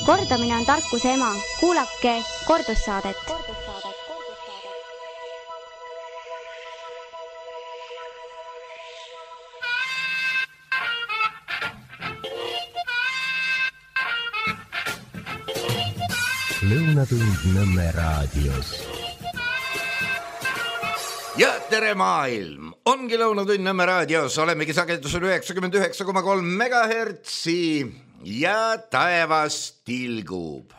Kordamine on tarkuse ema. Kuulake kordussaadet. Lõunatund Nõmme raadios. Ja tere maailm! Ongi Lõunatund Nõmme raadios, olemegi sagedusel 99,3 megahertsi ja taevas tilgub.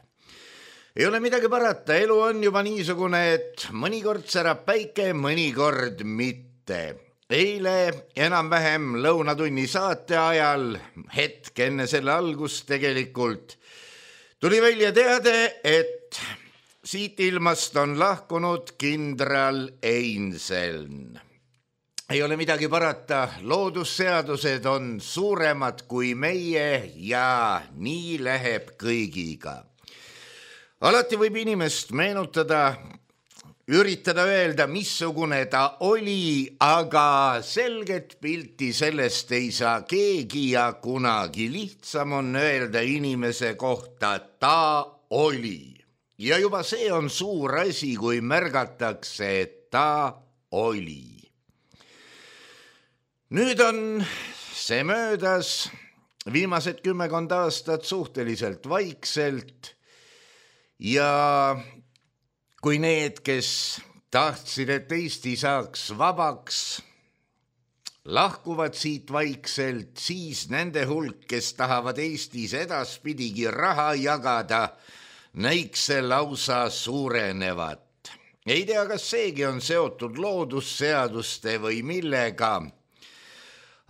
Ei ole midagi parata, elu on juba niisugune, et mõnikord särab päike, mõnikord mitte. Eile enam-vähem lõunatunni saate ajal, hetk enne selle algust tegelikult, tuli välja teade, et siit ilmast on lahkunud kindral Einseln. Ei ole midagi parata, loodusseadused on suuremad kui meie ja nii läheb kõigiga. Alati võib inimest meenutada, üritada öelda, missugune ta oli, aga selget pilti sellest ei saa keegi ja kunagi. Lihtsam on öelda inimese kohta, ta oli. Ja juba see on suur asi, kui märgatakse, et ta oli. Nüüd on see möödas viimased 10 aastat suhteliselt vaikselt ja kui need, kes tahtsid, et Eesti saaks vabaks, lahkuvad siit vaikselt, siis nende hulk, kes tahavad Eestis edaspidigi raha jagada, näiks see lausa suurenevat. Ei tea, kas seegi on seotud loodusseaduste või millega,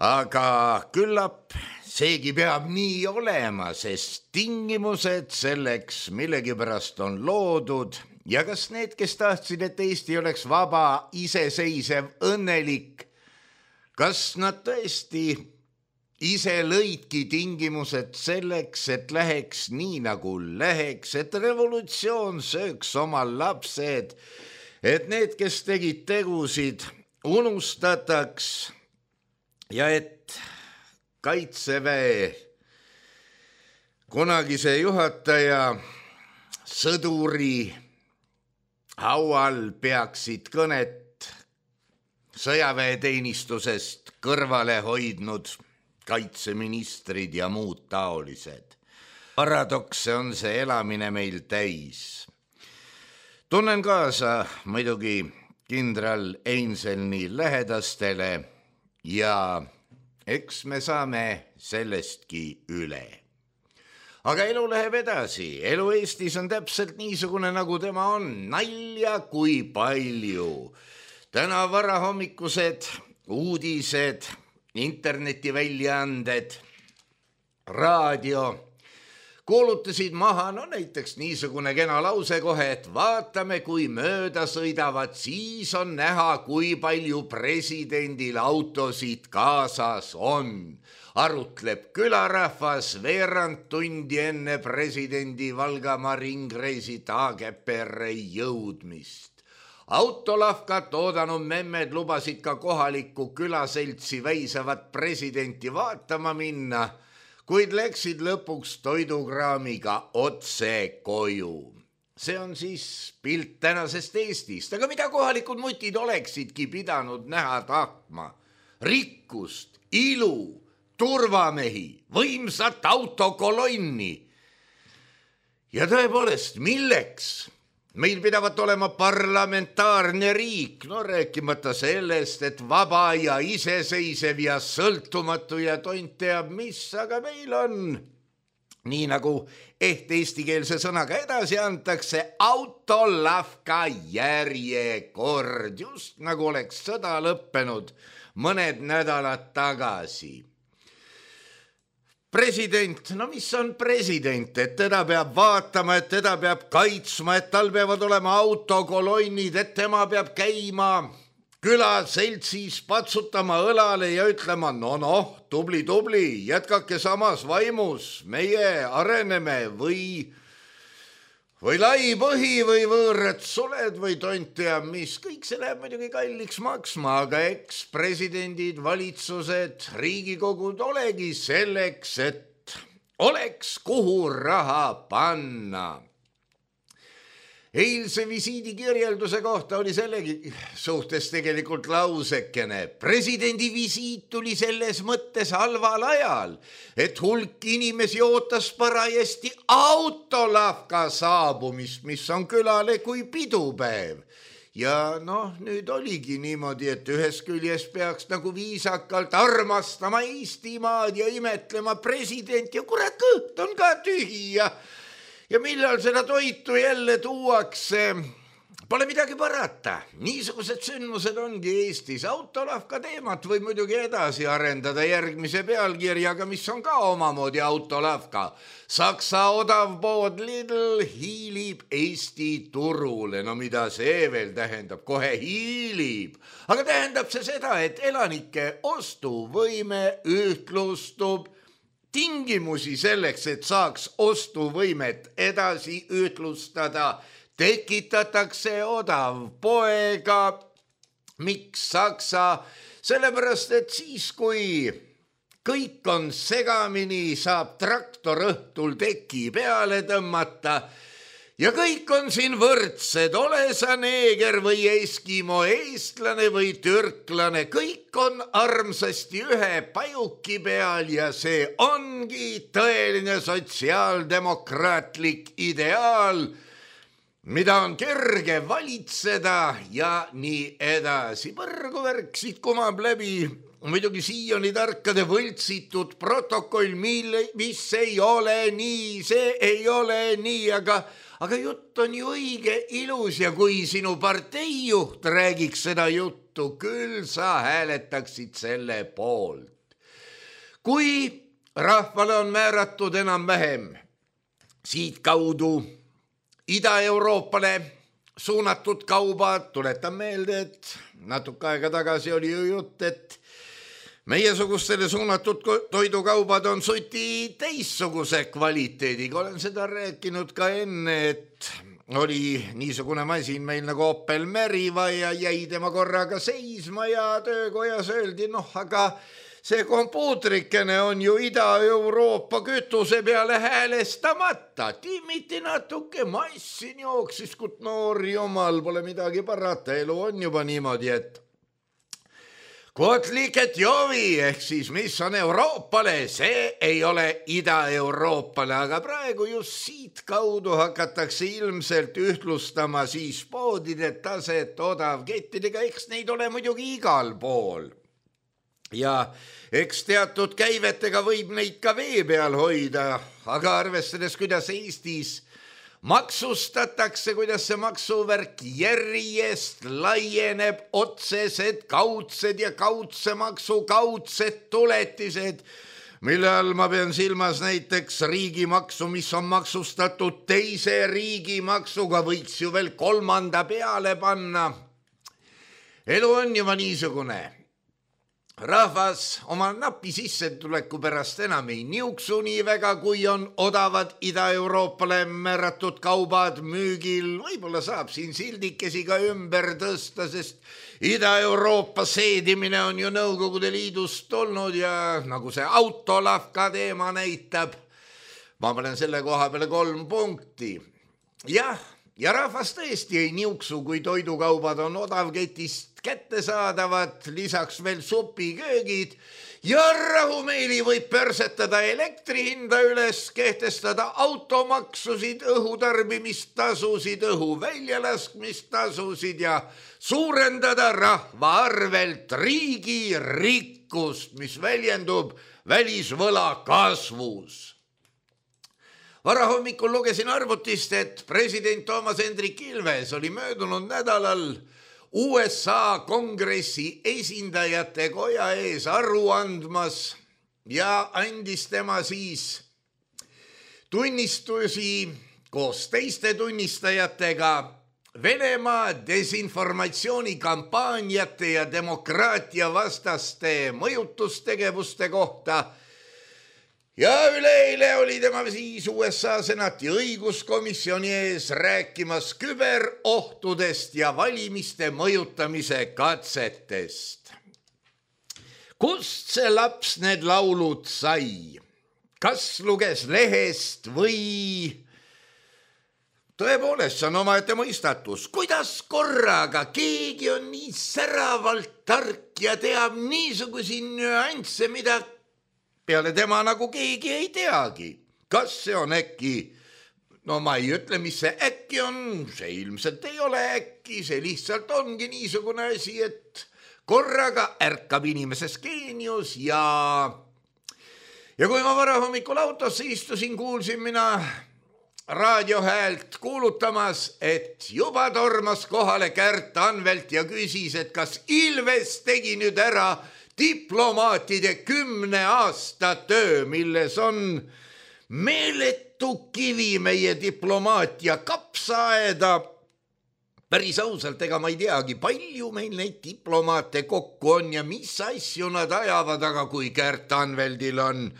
aga küllap seegi peab nii olema, sest tingimused selleks millegipärast on loodud ja kas need, kes tahtsid, et Eesti oleks vaba, iseseisev, õnnelik, kas nad tõesti ise lõidki tingimused selleks, et läheks nii nagu läheks, et revolutsioon sööks oma lapsed, et need, kes tegid tegusid, unustataks ja et Kaitseväe kunagise juhataja sõduri haual peaksid kõnet sõjaväeteenistusest kõrvale hoidnud kaitseministrid ja muud taolised. Paradokse on see elamine meil täis. Tunnen kaasa muidugi kindral Einselni lähedastele ja eks me saame sellestki üle. Aga elu läheb edasi. Elu Eestis on täpselt niisugune, nagu tema on. Nalja kui palju. Täna varahommikused uudised, internetiväljaanded, raadio kuulutasid maha, näiteks niisugune kena lause kohe, et vaatame, kui mööda sõidavad, siis on näha, kui palju presidendil autosid kaasas on. Arutleb külarahvas veerand tundi enne presidendi Valgamaa ringreisi Taagepere jõudmist. Autolahkat oodanud memmed lubasid ka kohalikku külaseltsi väisavat presidenti vaatama minna, kuid läksid lõpuks toidukraamiga otse koju. See on siis pilt tänasest Eestist, aga mida kohalikud mutid oleksidki pidanud näha tahtma? Rikkust, ilu, turvamehi, võimsat autokolonni. Ja tõepoolest, milleks? Meil pidavat olema parlamentaarne riik, rääkimata sellest, et vaba ja iseseisev ja sõltumatu ja tont teab mis, aga meil on, nii nagu eestikeelse sõnaga edasi antakse, autolavka järjekord, just nagu oleks sõda lõppenud mõned nädalad tagasi. President, mis on president, et teda peab vaatama, et teda peab kaitsma, et tal peavad olema autokolonnid, et tema peab käima külaseltsis patsutama õlale ja ütlema, tubli, jätkake samas vaimus, meie areneme või lai põhi või võõrad suled või tont teab mis, kõik see läheb muidugi kalliks maksma, aga eks presidendid, valitsused, riigikogud olegi selleks, et oleks kuhu raha panna. Eilse visiidi kirjelduse kohta oli sellegi suhtes tegelikult lausekene. Presidendi visiit tuli selles mõttes halval ajal, et hulk inimesi ootas parajasti autolavka saabumist, mis on külale kui pidupäev. Ja nüüd oligi niimoodi, et ühest küljest peaks nagu viisakalt armastama Eestimaad ja imetlema president ja kurat, kõht on ka tühi ja millal seda toitu jälle tuuakse, pole midagi parata. Niisugused sündmused ongi Eestis. Autolavka teemat võib muidugi edasi arendada järgmise pealkirjaga, mis on ka omamoodi autolavka. Saksa odavpood Lidl hiilib Eesti turule. No mida see veel tähendab? Kohe hiilib. Aga tähendab see seda, et elanike ostuvõime ühtlustub. Tingimusi selleks, et saaks ostuvõimet edasi ühtlustada, tekitatakse odavpoega. Miks Saksa? Sellepärast, et siis, kui kõik on segamini, saab traktor õhtul teki peale tõmmata ja kõik on siin võrdsed, ole sa neeger või eskimo, eestlane või türklane, kõik on armsasti ühe pajuki peal ja see ongi tõeline sotsiaaldemokraatlik ideaal, mida on kerge valitseda ja nii edasi. Põrgu värk siit kumab läbi muidugi siiani tarkade võltsitud protokoll, mis ei ole nii, see ei ole nii, aga jutt on ju õige ilus ja kui sinu parteijuht räägiks seda juttu, küll sa hääletaksid selle poolt. Kui rahvale on määratud enam-vähem siit kaudu Ida-Euroopale suunatud kaubad, tuletan meelde, et natuke aega tagasi oli ju jutt, et meiesugustele suunatud toidukaubad on suti teissuguse kvaliteediga. Olen seda rääkinud ka enne, et oli niisugune masin meil nagu Opel Meriva ja jäi tema korraga seisma ja töökojas öeldi, aga see kompuutrikene on ju Ida-Euroopa kütuse peale häälestamata. Timmiti natuke, massin jooksis, kui noor jumal, pole midagi parata, elu on juba niimoodi, et Kotliket jovi, ehk siis mis on Euroopale, see ei ole Ida-Euroopale, aga praegu just siit kaudu hakatakse ilmselt ühtlustama siis poodide taset odavkettidega, eks neid ole muidugi igal pool. Ja eks teatud käivetega võib neid ka vee peal hoida, aga arvestades, kuidas Eestis maksustatakse, kuidas see maksuvärk järjest laieneb, otsesed, kaudsed ja kaudse maksu kaudsed tuletised, mille all ma pean silmas näiteks riigimaksu, mis on maksustatud teise riigimaksuga, võiks ju veel kolmanda peale panna. Elu on juba niisugune. Rahvas oma napi sissetuleku pärast enam ei niuksu nii väga, kui on odavad Ida-Euroopale määratud kaubad müügil. Võib-olla saab siin sildikesi ka ümber tõsta, sest Ida-Euroopa seedimine on ju Nõukogude Liidust tulnud ja nagu see autolavka teema näitab, ma panen selle koha peale 3 punkti. Ja rahvas tõesti ei niuksu, kui toidukaubad on odavketist kättesaadavad, lisaks veel supiköögid ja rahumeeli võib pörsetada elektri hinda üles, kehtestada automaksusid, õhutarbimistasusid, õhu väljalaskmistasusid ja suurendada rahva arvelt riigi rikkust, mis väljendub välisvõla kasvus. Varahommikul lugesin arvutist, et president Toomas Hendrik Ilves oli möödunud nädalal USA kongressi esindajate koja ees aru andmas ja andis tema siis tunnistusi koos teiste tunnistajatega Venemaa desinformatsioonikampaaniate ja demokraatia vastaste mõjutustegevuste kohta. Ja üleeile oli tema siis USA senati õiguskomisjoni ees rääkimas küberohtudest ja valimiste mõjutamise katsetest. Kust see laps need laulud sai? kas luges lehest või tõepoolest, see on omaette mõistatus, kuidas korraga keegi on nii säravalt tark ja teab niisugusi nüansse, mida peale tema nagu keegi ei teagi. Kas see on äkki, no ma ei ütle, mis see äkki on, see ilmselt ei ole äkki, see lihtsalt ongi niisugune asi, et korraga ärkab inimeses geenius ja kui ma varahommikul autosse istusin, kuulsin mina raadiohäält kuulutamas, et juba tormas kohale Kärt Anvelt ja küsis, et kas Ilves tegi nüüd ära diplomaatide 10 aasta töö, milles on meeletu kivi meie diplomaatia kapsaaeda. Päris ausalt, ega ma ei teagi, palju meil neid diplomaate kokku on ja mis asju nad ajavad, aga kui Kärt Anveldil on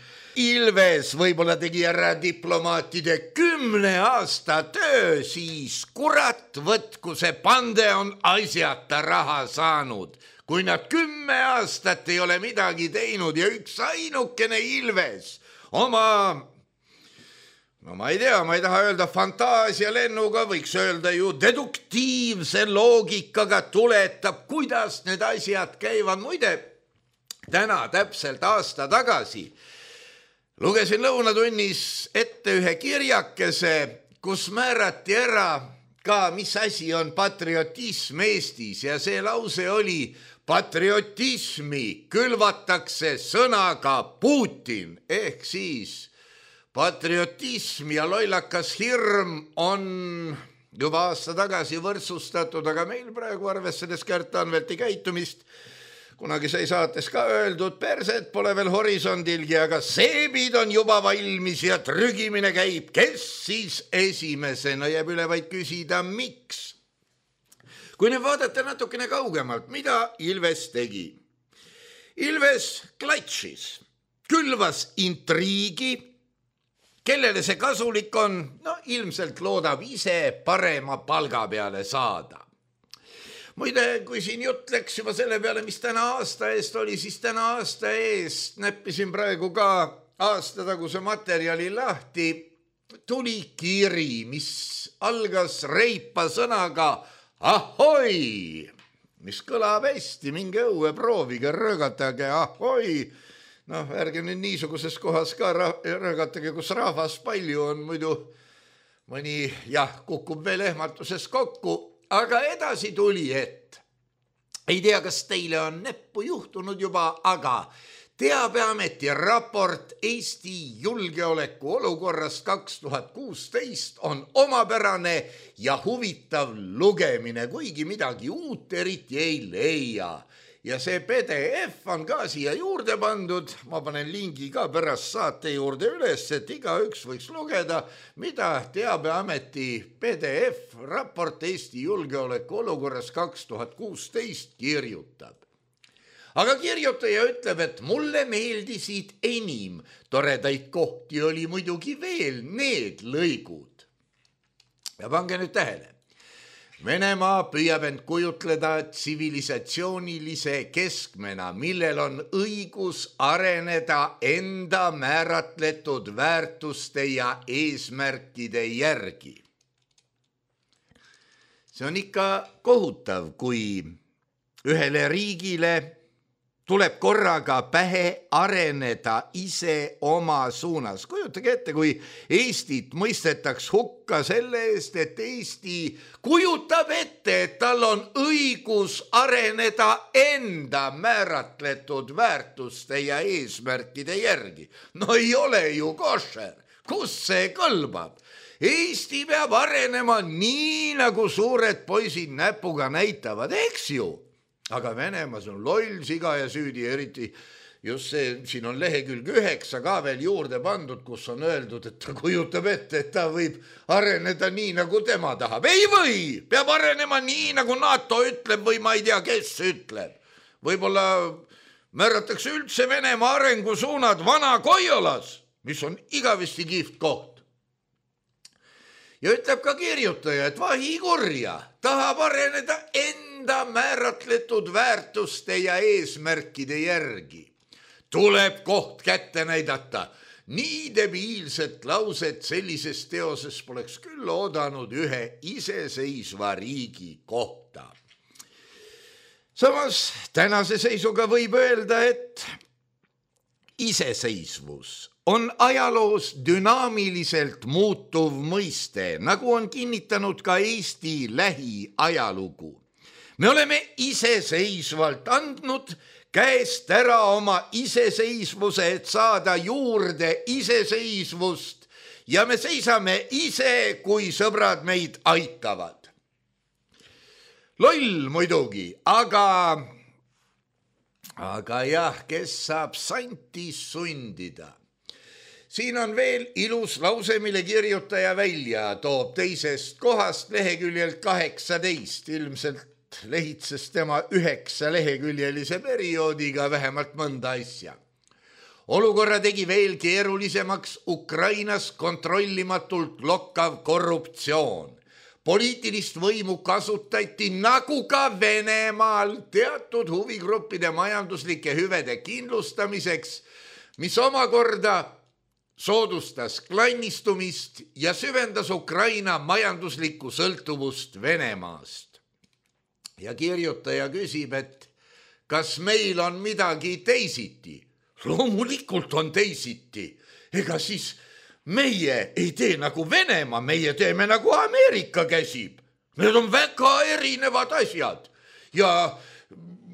Ilves võib-olla tegi ära diplomaatide 10 aasta töö, siis kurat võtku see pande on asjata raha saanud. Kui nad 10 aastat ei ole midagi teinud ja üks ainukene Ilves oma, no ma ei tea, ma ei taha öelda fantaasialennuga, võiks öelda ju deduktiivse loogikaga tuletab, kuidas need asjad käivad. Muide, täna täpselt aasta tagasi lugesin lõunatunnis ette ühe kirjakese, kus määrati ära ka, mis asi on patriotism Eestis ja see lause oli: patriotismi külvatakse sõnaga Putin, ehk siis patriotism ja lollakas hirm on juba aasta tagasi võrdsustatud, aga meil praegu arvestades Kärt Anvelti käitumist, kunagi sai saates ka öeldud, perset pole veel horisondilgi, aga seebid on juba valmis ja trügimine käib. Kes siis esimesena? Jääb üle vaid küsida, miks? Kui nüüd vaadata natukene kaugemalt, mida Ilves tegi? Ilves klatšis, külvas intriigi. Kellele see kasulik on? No ilmselt loodab ise parema palga peale saada. Muide, kui siin jutt läks juba selle peale, mis täna aasta eest oli, siis täna aasta eest näppisin praegu ka aastataguse materjali lahti. Tuli kiri, mis algas reipa sõnaga ahoi, mis kõlab hästi, minge õue, proovige, röögatage ahoi. Noh, ärge nüüd niisuguses kohas ka röögatage, kus rahvas palju on, muidu mõni kukub veel ehmatuses kokku. Aga edasi tuli, et ei tea, kas teile on näppu juhtunud juba, aga Teabeameti raport Eesti julgeoleku olukorrast 2016 on omapärane ja huvitav lugemine, kuigi midagi uut eriti ei leia. Ja see PDF on ka siia juurde pandud, ma panen lingi ka pärast saate juurde üles, et igaüks võiks lugeda, mida Teabeameti PDF raport Eesti julgeoleku olukorras 2016 kirjutab. Aga kirjutaja ütleb, et mulle meeldisid enim, toredaid kohti oli muidugi veel need lõigud. Ja pange nüüd tähele. Venemaa püüab end kujutleda tsivilisatsioonilise keskmena, millel on õigus areneda enda määratletud väärtuste ja eesmärkide järgi. See on ikka kohutav, kui ühele riigile tuleb korraga pähe areneda ise oma suunas. Kujutage ette, kui Eestit mõistetaks hukka selle eest, et Eesti kujutab ette, et tal on õigus areneda enda määratletud väärtuste ja eesmärkide järgi. No ei ole ju košer. Kus see kõlbab? Eesti peab arenema nii, nagu suured poisid näpuga näitavad, eks ju? Aga Venemaas on loll, siga ja süüdi, eriti just see, siin on lehekülg 9 ka veel juurde pandud, kus on öeldud, et ta kujutab ette, et ta võib areneda nii, nagu tema tahab. Ei või, peab arenema nii, nagu NATO ütleb või ma ei tea, kes ütleb. Võib-olla määratakse üldse Venemaa arengusuunad Vana-Koiolas, mis on igavesti kihvt koht. Ja ütleb ka kirjutaja, et vahi kurja, tahab areneda enda määratletud väärtuste ja eesmärkide järgi. Tuleb koht kätte näidata. nii debiilset lauset sellises teoses poleks küll oodanud ühe iseseisva riigi kohta. Samas tänase seisuga võib öelda, et iseseisvus on ajaloos dünaamiliselt muutuv mõiste, nagu on kinnitanud ka Eesti lähiajalugu. Me oleme iseseisvalt andnud käest ära oma iseseisvuse, et saada juurde iseseisvust ja me seisame ise, kui sõbrad meid aitavad. Loll muidugi, aga jah, kes saab santi sundida? Siin on veel ilus lause, mille kirjutaja välja toob teisest kohast leheküljelt 18, ilmselt lehitses tema 9 leheküljelise perioodiga vähemalt mõnda asja. Olukorra tegi veel keerulisemaks Ukrainas kontrollimatult lokkav korruptsioon. Poliitilist võimu kasutati nagu ka Venemaal teatud huvigruppide majanduslike hüvede kindlustamiseks, mis omakorda soodustas klannistumist ja süvendas Ukraina majanduslikku sõltuvust Venemaast. Ja kirjutaja küsib, et kas meil on midagi teisiti? Loomulikult on teisiti. Ega siis meie ei tee nagu Venemaa, meie teeme nagu Ameerika käsib. Need on väga erinevad asjad. Ja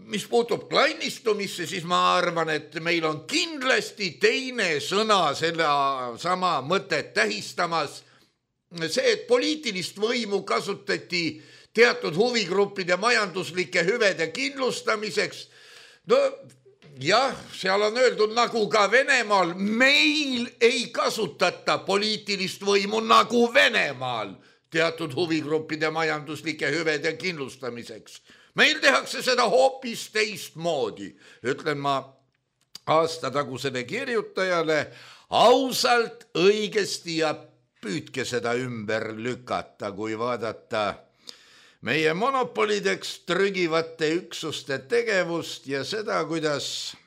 mis puutub klannistumisse, siis ma arvan, et meil on kindlasti teine sõna selle sama mõtet tähistamas. See, et poliitilist võimu kasutati teatud huvigruppide majanduslike hüvede kindlustamiseks. No jah, seal on öeldud nagu ka Venemaal, meil ei kasutata poliitilist võimu nagu Venemaal teatud huvigruppide majanduslike hüvede kindlustamiseks. Meil tehakse seda hoopis teistmoodi, ütlen ma aastatagusele kirjutajale ausalt, õigesti ja püüdke seda ümber lükata, kui vaadata meie monopolideks trügivate üksuste tegevust ja seda, kuidas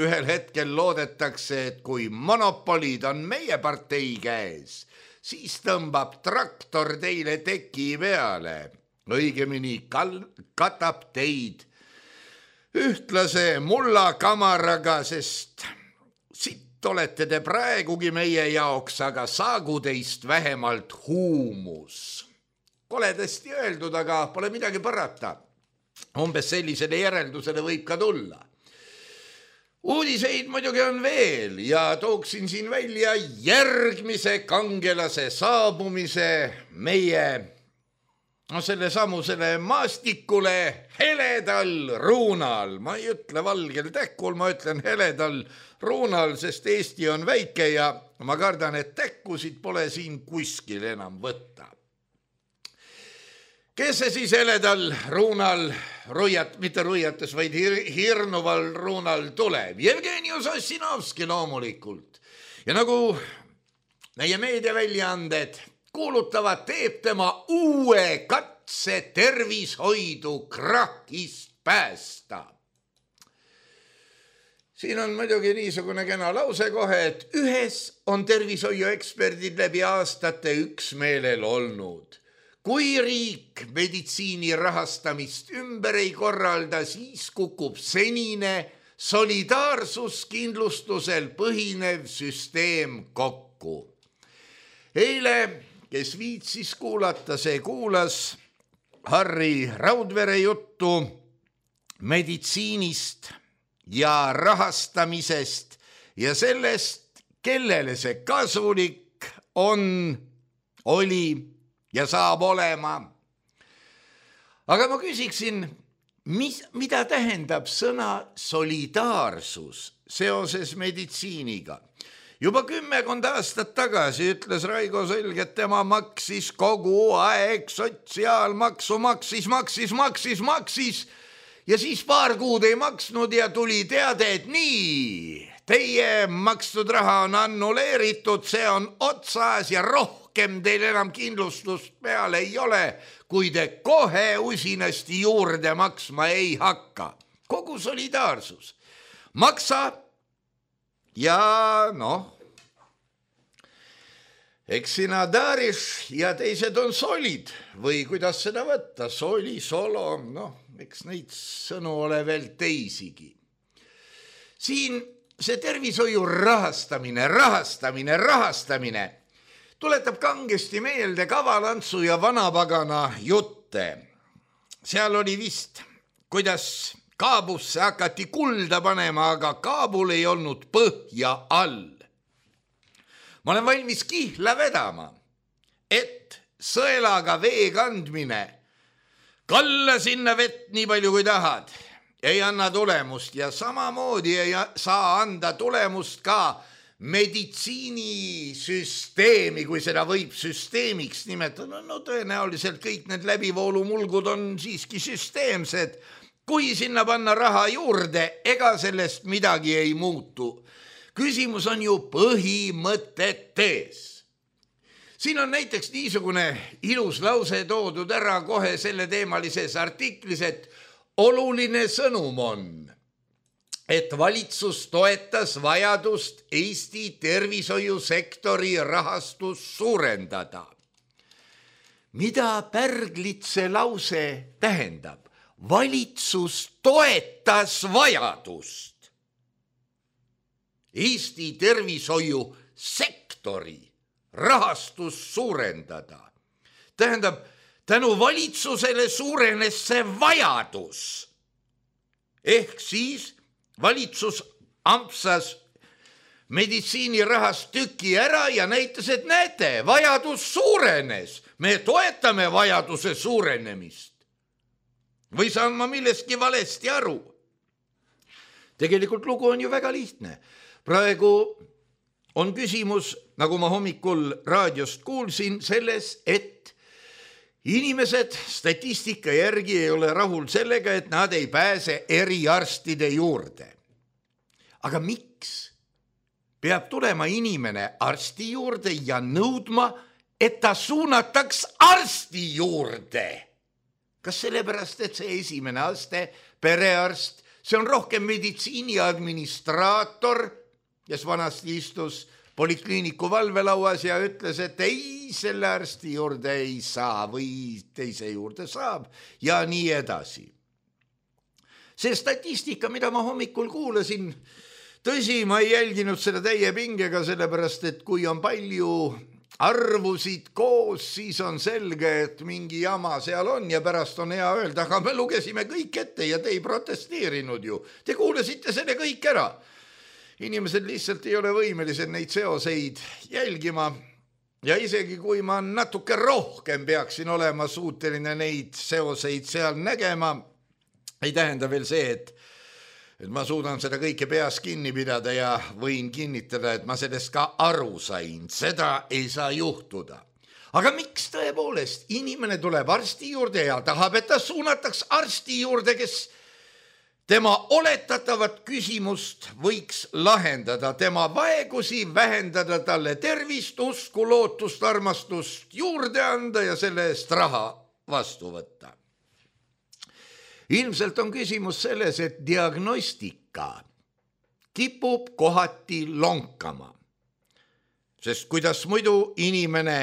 ühel hetkel loodetakse, et kui monopolid on meie partei käes, siis tõmbab traktor teile teki peale. Õigemini katab teid ühtlase mullakamaraga, sest sitt olete te praegugi meie jaoks, aga saagu teist vähemalt huumus. Koledasti öeldud, aga pole midagi parata. Umbes sellisele järeldusele võib ka tulla. Uudiseid muidugi on veel ja tooksin siin välja järgmise kangelase saabumise meie selle maastikule heledal ruunal. Ma ei ütle valgel täkkul, ma ütlen heledal ruunal, sest Eesti on väike ja ma kardan, et täkkusid pole siin kuskil enam võtta. Kes see siis heledal ruunal, mitte ruiates, vaid hirnuval ruunal tuleb? Jevgeni Ossinovski loomulikult. Ja nagu meie meediaväljaanded kuulutavad, teeb tema uue katse tervishoidu krahhist päästa. Siin on muidugi niisugune kena lause kohe, et ühes on tervishoiueksperdid läbi aastate üksmeelel olnud. Kui riik meditsiini rahastamist ümber ei korralda, siis kukub senine solidaarsuskindlustusel põhinev süsteem kokku. Eile, kes viitsis kuulata, see kuulas Harri Raudvere juttu meditsiinist ja rahastamisest ja sellest, kellele see kasulik oli ja saab olema. Aga ma küsiksin, mida tähendab sõna solidaarsus seoses meditsiiniga? Juba 10 aastat tagasi ütles Raigo Sõlg, et tema maksis kogu aeg sotsiaalmaksu, maksis ja siis paar kuud ei maksnud ja tuli teade, et nii, teie makstud raha on annuleeritud, see on otsas ja rohkem teil enam kindlustust peale ei ole, kui te kohe usinasti juurde maksma ei hakka. Kogu solidaarsus. Maksa ja Eks sina Dariš ja teised on solid või kuidas seda võtta, soli, solo, eks neid sõnu ole veel teisigi. Siin see tervishoiu rahastamine tuletab kangesti meelde Kavalantsu ja Vanapagana jutte. Seal oli vist, kuidas Kaabusse hakati kulda panema, aga Kaabul ei olnud põhja all. Ma olen valmis kihla vedama, et sõelaga vee kandmine, kalla sinna vett nii palju kui tahad, ei anna tulemust ja samamoodi ei saa anda tulemust ka meditsiinisüsteemi, kui seda võib süsteemiks nimetada. Tõenäoliselt kõik need läbivoolumulgud on siiski süsteemsed. Kui sinna panna raha juurde, ega sellest midagi ei muutu. Küsimus on ju põhimõtetes. Siin on näiteks niisugune ilus lause toodud ära kohe selle teemalises artiklis, et oluline sõnum on, et valitsus toetas vajadust Eesti tervishoiusektori rahastus suurendada. Mida pärglit see lause tähendab? Valitsus toetas vajadust Eesti tervishoiusektori rahastus suurendada. Tähendab, tänu valitsusele suurenes see vajadus. Ehk siis valitsus ampsas meditsiinirahast tüki ära ja näitas, et näete, vajadus suurenes. Me toetame vajaduse suurenemist. Või saan ma millestki valesti aru? Tegelikult lugu on ju väga lihtne. Praegu on küsimus, nagu ma hommikul raadiost kuulsin, selles, et inimesed statistika järgi ei ole rahul sellega, et nad ei pääse eriarstide juurde. Aga miks peab tulema inimene arsti juurde ja nõudma, et ta suunataks arsti juurde? Kas sellepärast, et see esimene aste, perearst, see on rohkem meditsiini administraator, kes vanasti istus polikliiniku valvelauas ja ütles, et ei, selle arsti juurde ei saa või teise juurde saab ja nii edasi. See statistika, mida ma hommikul kuulasin, tõsi, ma ei jälginud seda täie pingega, sellepärast, et kui on palju arvusid koos, siis on selge, et mingi jama seal on ja pärast on hea öelda, aga me lugesime kõik ette ja te ei protesteerinud ju. Te kuulasite selle kõik ära. Inimesed lihtsalt ei ole võimelised neid seoseid jälgima ja isegi kui ma natuke rohkem peaksin olema suuteline neid seoseid seal nägema, ei tähenda veel see, et ma suudan seda kõike peas kinni pidada ja võin kinnitada, et ma sellest ka aru sain. Seda ei saa juhtuda. Aga miks tõepoolest inimene tuleb arsti juurde ja tahab, et ta suunataks arsti juurde, kes tema oletatavat küsimust võiks lahendada, tema vaegusi vähendada, talle tervist, usku, lootust, armastust juurde anda ja selle eest raha vastu võtta. Ilmselt on küsimus selles, et diagnostika kipub kohati lonkama. Sest kuidas muidu inimene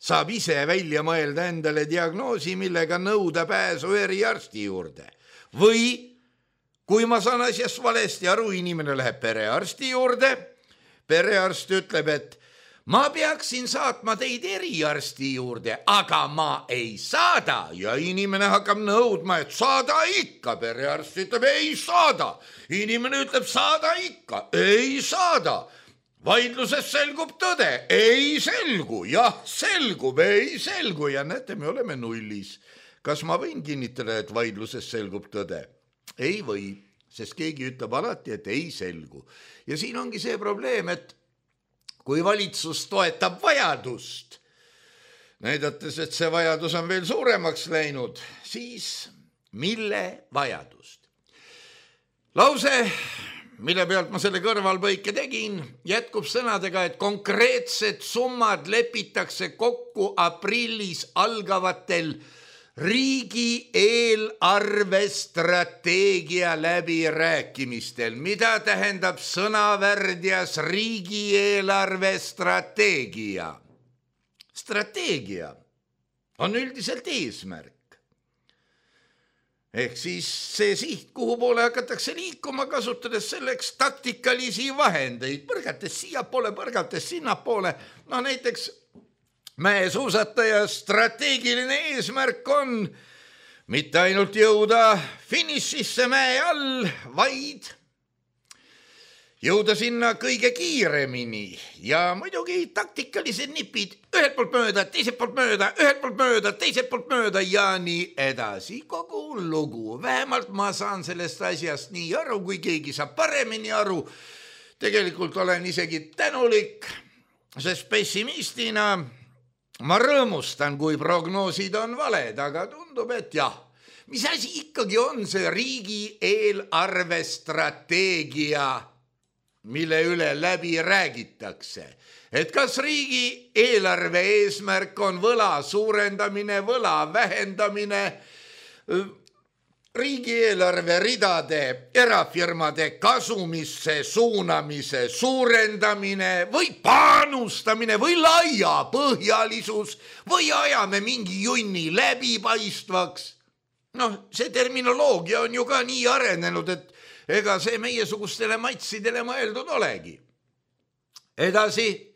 saab ise välja mõelda endale diagnoosi, millega nõuda pääsu eriarsti juurde. Või kui ma saan asjast valesti aru, inimene läheb perearsti juurde, perearst ütleb, et ma peaksin saatma teid eriarsti juurde, aga ma ei saada ja inimene hakkab nõudma, et saada ikka. Perearst ütleb, ei saada. Inimene ütleb, saada ikka, ei saada. Vaidluses selgub tõde, ei selgu, jah, selgub, ei selgu ja näete, me oleme nullis. Kas ma võin kinnitada, et vaidluses selgub tõde? Ei või, sest keegi ütleb alati, et ei selgu. Ja siin ongi see probleem, et kui valitsus toetab vajadust, näidates, et see vajadus on veel suuremaks läinud, siis mille vajadust? Lause, mille pealt ma selle kõrvalpõike tegin, jätkub sõnadega, et konkreetsed summad lepitakse kokku aprillis algavatel riigi eelarvestrateegia läbirääkimistel. Mida tähendab sõnavärdjas riigi eelarvestrateegia? strateegia on üldiselt eesmärk. Ehk siis see siht, kuhu poole hakatakse liikuma, kasutades selleks taktikalisi vahendeid, põrgates siiapoole, põrgates sinnapoole. No näiteks mäesuusataja strateegiline eesmärk on mitte ainult jõuda finišisse mäe all, vaid jõuda sinna kõige kiiremini ja muidugi taktikalised nipid ühelt poolt mööda, teiselt poolt mööda, ühelt poolt mööda, teiselt poolt mööda ja nii edasi. Kogu lugu. Vähemalt ma saan sellest asjast nii aru, kui keegi saab paremini aru. Tegelikult olen isegi tänulik, sest pessimistina ma rõõmustan, kui prognoosid on valed, aga tundub, et jah. Mis asi ikkagi on see riigi eelarvestrateegia, mille üle läbi räägitakse? Et kas riigi eelarve eesmärk on võla suurendamine, võla vähendamine, riigieelarve ridade erafirmade kasumisse suunamise suurendamine või panustamine või laiapõhjalisus või ajame mingi junni läbipaistvaks? Noh, see terminoloogia on ju ka nii arenenud, et ega see meiesugustele matsidele mõeldud olegi. Edasi,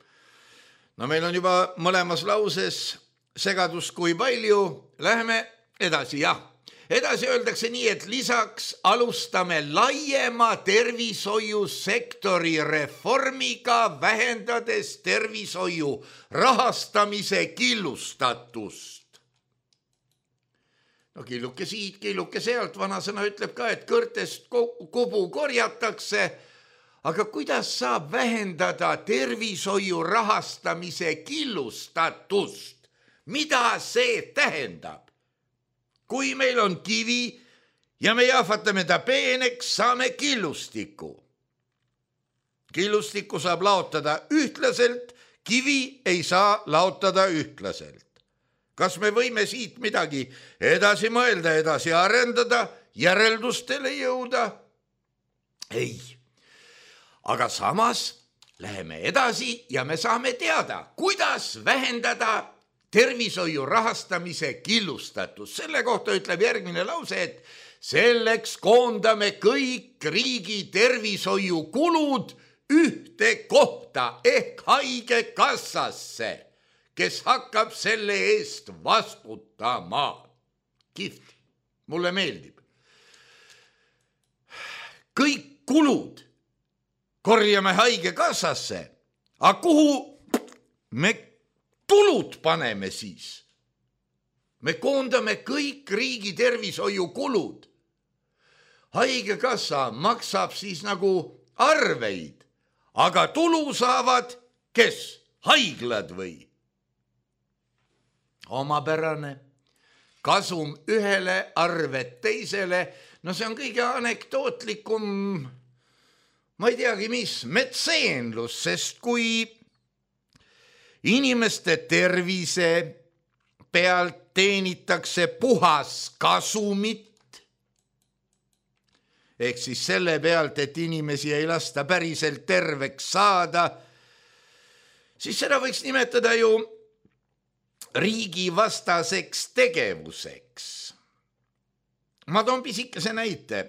no meil on juba mõlemas lauses segadus kui palju, läheme edasi, jah. Edasi öeldakse nii, et lisaks alustame laiema tervishoiusektori reformiga, vähendades tervishoiu rahastamise killustatust. No killuke siit, killuke sealt, vanasõna ütleb ka, et kõrtest kubu korjatakse, aga kuidas saab vähendada tervishoiu rahastamise killustatust? Mida see tähendab? Kui meil on kivi ja me jahvatame ta peeneks, saame killustiku. Killustikku saab laotada ühtlaselt, kivi ei saa laotada ühtlaselt. Kas me võime siit midagi edasi mõelda, edasi arendada, järeldustele jõuda? Ei. Aga samas läheme edasi ja me saame teada, kuidas vähendada tervishoiu rahastamise killustatus. Selle kohta ütleb järgmine lause, et selleks koondame kõik riigi tervishoiukulud ühte kohta ehk haigekassasse, kes hakkab selle eest vastutama. Kihvt, mulle meeldib. Kõik kulud korjame haigekassasse, aga kuhu me tulud paneme siis? Me koondame kõik riigi tervishoiukulud. Haigekassa maksab siis nagu arveid, aga tulu saavad kes? Haiglad või? Omapärane, kasum ühele, arved teisele, no see on kõige anekdootlikum, ma ei teagi mis, metseenlus, sest kui inimeste tervise pealt teenitakse puhas kasumit, ehk siis selle pealt, et inimesi ei lasta päriselt terveks saada, siis seda võiks nimetada ju riigivastaseks tegevuseks. Ma toon pisikese näite.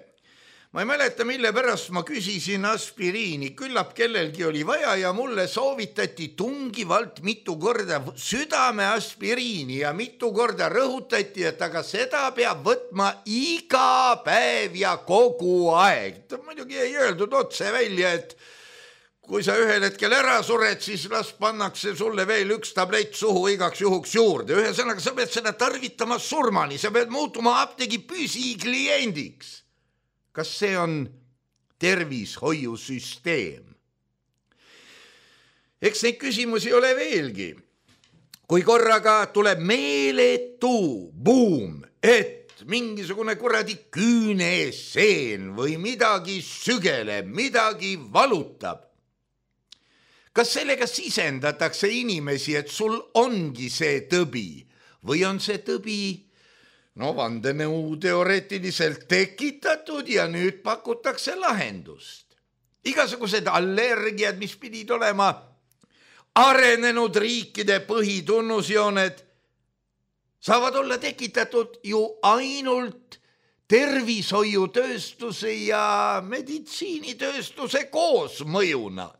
Ma ei mäleta, mille pärast ma küsisin aspiriini. Küllap kellelgi oli vaja ja mulle soovitati tungivalt mitu korda südame aspiriini ja mitu korda rõhutati, et aga seda peab võtma iga päev ja kogu aeg. Muidugi ei öeldud otse välja, et kui sa ühel hetkel ära sured, siis las pannakse sulle veel üks tablett suhu igaks juhuks juurde. Ühesõnaga, sa pead seda tarvitama surmani, sa pead muutuma apteegi püsikliendiks. Kas see on tervishoiusüsteem? Eks neid küsimusi ole veelgi. Kui korraga tuleb meeletu buum, et mingisugune kuradi küüneseen või midagi sügeleb, midagi valutab, kas sellega sisendatakse inimesi, et sul ongi see tõbi või on see tõbi vandenõu teoreetiliselt tekitatud ja nüüd pakutakse lahendust? Igasugused allergiad, mis pidid olema arenenud riikide põhitunnusjooned saavad olla tekitatud ju ainult tervishoiutööstuse ja meditsiinitööstuse koosmõjuna.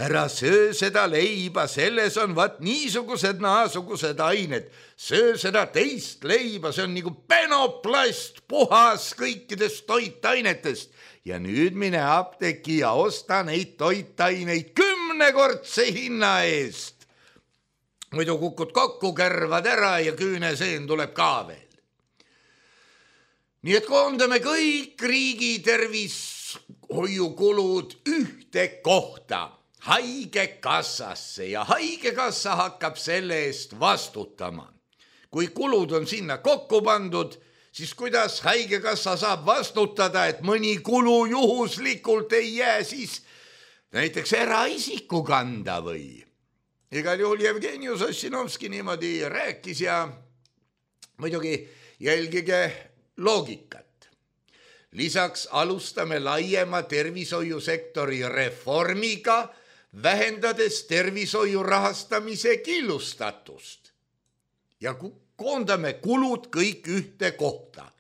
Ära söö seda leiba, selles on vaat niisugused naasugused ained. Söö seda teist leiba, see on nagu penoplast, puhas kõikidest toitainetest. Ja nüüd mine apteeki ja osta neid toitaineid 10-kordse hinna eest. Muidu kukud kokku, kärvad ära ja küüneseen tuleb ka veel. Nii et koondame kõik riigi tervishoiukulud ühte kohta, haigekassasse, ja haigekassa hakkab selle eest vastutama. Kui kulud on sinna kokku pandud, siis kuidas haigekassa saab vastutada, et mõni kulu juhuslikult ei jää siis näiteks eraisiku kanda või? Igal juhul Jevgenius Ossinovski niimoodi rääkis ja muidugi jälgige loogikat. Lisaks alustame laiema tervishoiusektori reformiga, vähendades tervishoiu rahastamise killustatust. Ja koondame kulud kõik ühte kohta.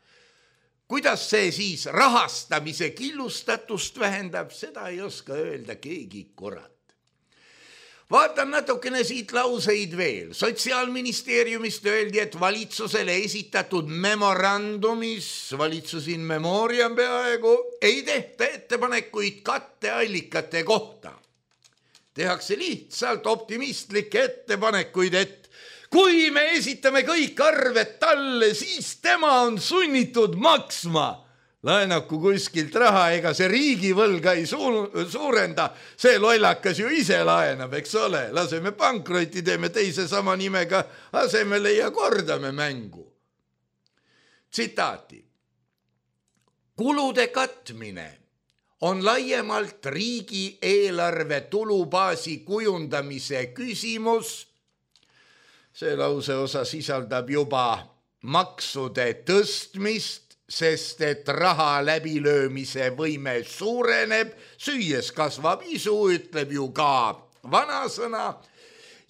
Kuidas see siis rahastamise killustatust vähendab, seda ei oska öelda keegi kurat. Vaatan natukene siit lauseid veel. Sotsiaalministeeriumist öeldi, et valitsusele esitatud memorandumis, valitsus in memoriam peaaegu, ei tehta ettepanekuid katteallikate kohta. Tehakse lihtsalt optimistlikke ettepanekuid, et kui me esitame kõik arved talle, siis tema on sunnitud maksma. Laenaku kuskilt raha, ega see riigivõlga ei suurenda, see lollakas ju ise laenab, eks ole. Laseme pankroti, teeme teise sama nimega asemele ja kordame mängu. Tsitaati. Kulude katmine on laiemalt riigieelarve tulubaasi kujundamise küsimus. See lauseosa sisaldab juba maksude tõstmist, sest et raha läbilöömise võime suureneb, süües kasvab isu, ütleb ju ka vanasõna,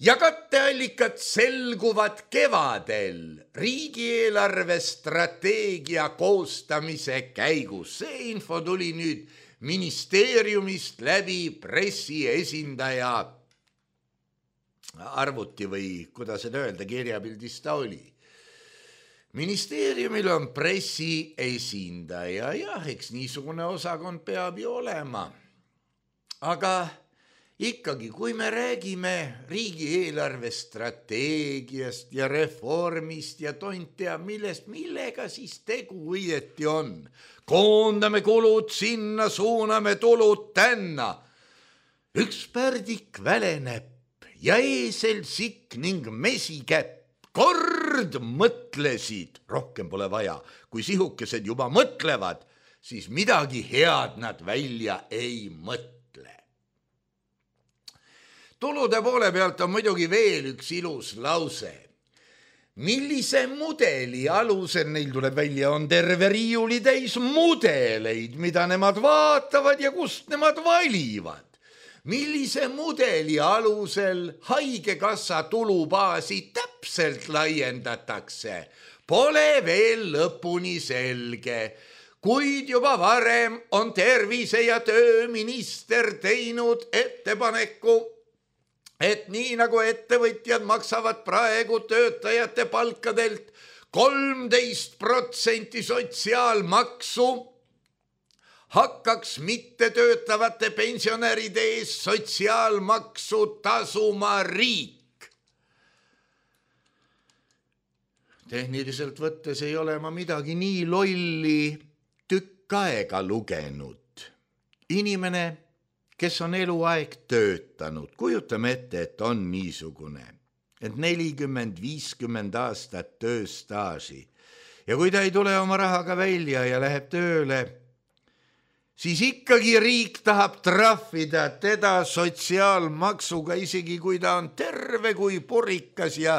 ja katteallikad selguvad kevadel riigieelarve strateegia koostamise käigus. See info tuli nüüd ministeeriumist läbi pressiesindaja arvuti või kuidas seda öelda, kirjapildis ta oli. Ministeeriumil on pressiesindaja, jah, eks niisugune osakond peab ju olema. Aga ikkagi, kui me räägime riigieelarve strateegiast ja reformist ja tont teab millest, millega siis tegu õieti on. Koondame kulud sinna, suuname tulud tänna. Üks pärdik väleneb ja eesel sikk ning mesikäpp. Kord mõtlesid, rohkem pole vaja, kui sihukesed juba mõtlevad, siis midagi head nad välja ei mõtle. Tulude poole pealt on muidugi veel üks ilus lause. Millise mudeli alusel, neil tuleb välja, on terve riiuli täis mudeleid, mida nemad vaatavad ja kust nemad valivad. Millise mudeli alusel haigekassa tulubaasi täpselt laiendatakse, pole veel lõpuni selge, kuid juba varem on tervise- ja tööminister teinud ettepaneku, et nii nagu ettevõtjad maksavad praegu töötajate palkadelt 13% sotsiaalmaksu, hakkaks mittetöötavate pensionäride ees sotsiaalmaksu tasuma riik. Tehniliselt võttes ei ole ma midagi nii lolli tükk aega lugenud. Inimene, kes on eluaeg töötanud, kujutame ette, et on niisugune, et 40-50 aastat tööstaaži. Ja kui ta ei tule oma rahaga välja ja läheb tööle, siis ikkagi riik tahab trahvida teda sotsiaalmaksuga, isegi kui ta on terve kui purikas ja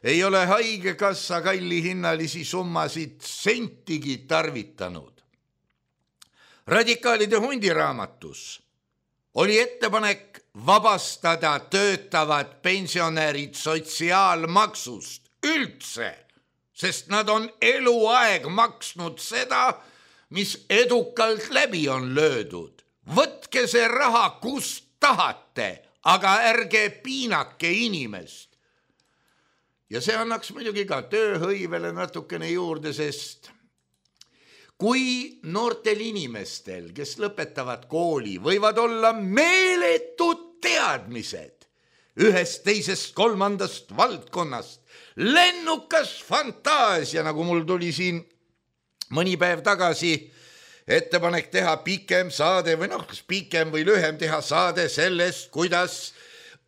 ei ole haigekassa kallihinnalisi summasid sentigi tarvitanud. Radikaalide hundiraamatus oli ettepanek vabastada töötavad pensionärid sotsiaalmaksust üldse, sest nad on eluaeg maksnud seda, mis edukalt läbi on löödud. Võtke see raha, kust tahate, aga ärge piinake inimest. Ja see annaks muidugi ka tööhõivele natukene juurde, sest kui noortel inimestel, kes lõpetavad kooli, võivad olla meeletud teadmised ühest, teisest, kolmandast valdkonnast, lennukas fantaasia, nagu mul tuli siin mõni päev tagasi ettepanek teha pikem saade või kas pikem või lühem teha saade sellest, kuidas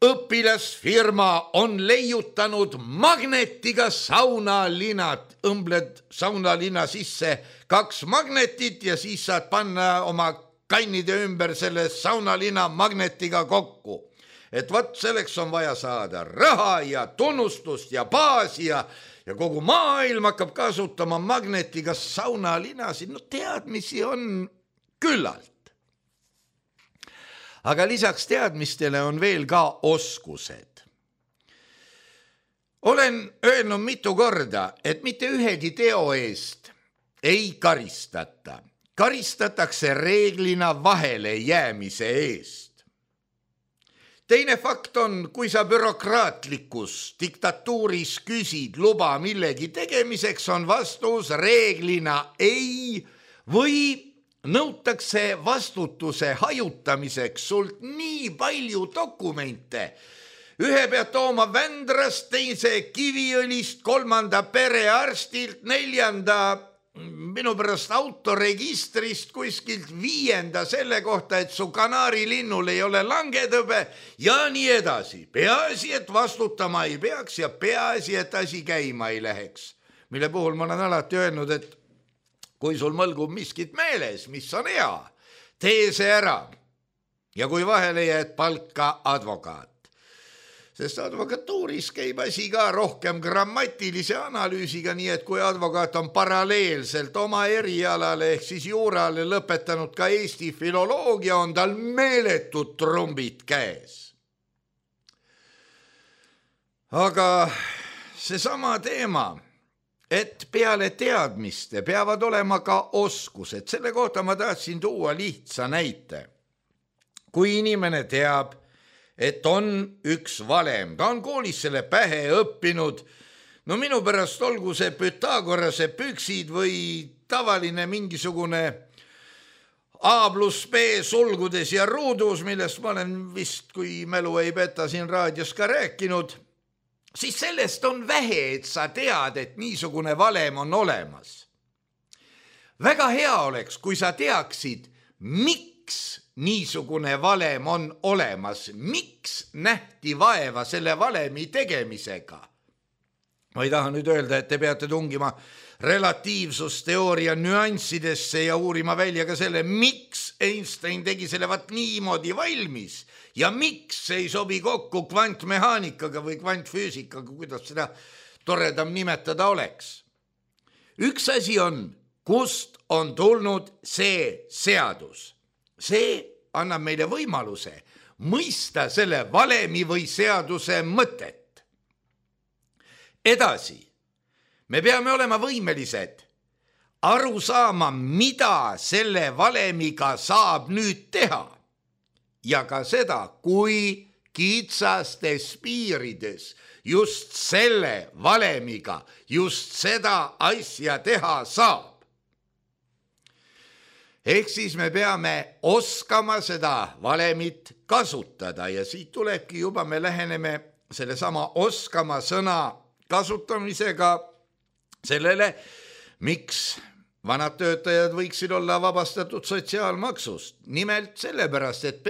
õpilasfirma on leiutanud magnetiga saunalinad, õmbled saunalina sisse 2 magnetit ja siis saad panna oma kannide ümber selle saunalina magnetiga kokku. Et võt selleks on vaja saada raha ja tunnustust ja baasi ja kogu maailm hakkab kasutama magnetiga saunalinasid. No teadmisi on küllalt. Aga lisaks teadmistele on veel ka oskused. Olen öelnud mitu korda, et mitte ühegi teo eest ei karistata. Karistatakse reeglina vahele jäämise eest. Teine fakt on, kui sa bürokraatlikus diktatuuris küsid luba millegi tegemiseks, on vastus reeglina ei või nõutakse vastutuse hajutamiseks sult nii palju dokumente. Ühe pead tooma Vändrast, teise Kiviõlist, 3. perearstilt, 4. minu pärast autoregistrist, kuskilt 5. selle kohta, et su kanaarilinnul ei ole langetõbe ja nii edasi. Peaasi, et vastutama ei peaks ja peaasi, et asi käima ei läheks. Mille puhul ma olen alati öelnud, et kui sul mõlgub miskit meeles, mis on hea, tee see ära. Ja kui vahele jääd, palka advokaat. Sest advokatuuris käib asi ka rohkem grammatilise analüüsiga, nii et kui advokaat on paralleelselt oma erialale ehk siis juurale lõpetanud ka Eesti filoloogia, on tal meeletud trumbid käes. Aga seesama teema, et peale teadmiste peavad olema ka oskused. Selle kohta ma tahtsin tuua lihtsa näite. Kui inimene teab, et on üks valem, ta on koolis selle pähe õppinud, no minu pärast olgu see Pythagorase püksid või tavaline mingisugune A+B sulgudes ja ruudus, millest ma olen vist, kui mälu ei peta, siin raadios ka rääkinud, siis sellest on vähe, et sa tead, et niisugune valem on olemas. Väga hea oleks, kui sa teaksid, miks niisugune valem on olemas, miks nähti vaeva selle valemi tegemisega. Ma ei taha nüüd öelda, et te peate tungima relatiivsusteooria nüanssidesse ja uurima välja ka selle, miks Einstein tegi selle niimoodi valmis ja miks ei sobi kokku kvantmehaanikaga või kvantfüüsikaga, kuidas seda toredam nimetada oleks. Üks asi on, kust on tulnud see seadus. See annab meile võimaluse mõista selle valemi või seaduse mõtet. Edasi, me peame olema võimelised aru saama, mida selle valemiga saab nüüd teha. Ja ka seda, kui kitsastes piirides just selle valemiga just seda asja teha saab. Ehk siis me peame oskama seda valemit kasutada ja siit tulebki juba, me läheneme selle sama oskama sõna kasutamisega sellele, miks vanad töötajad võiksid olla vabastatud sotsiaalmaksust. Nimelt sellepärast, et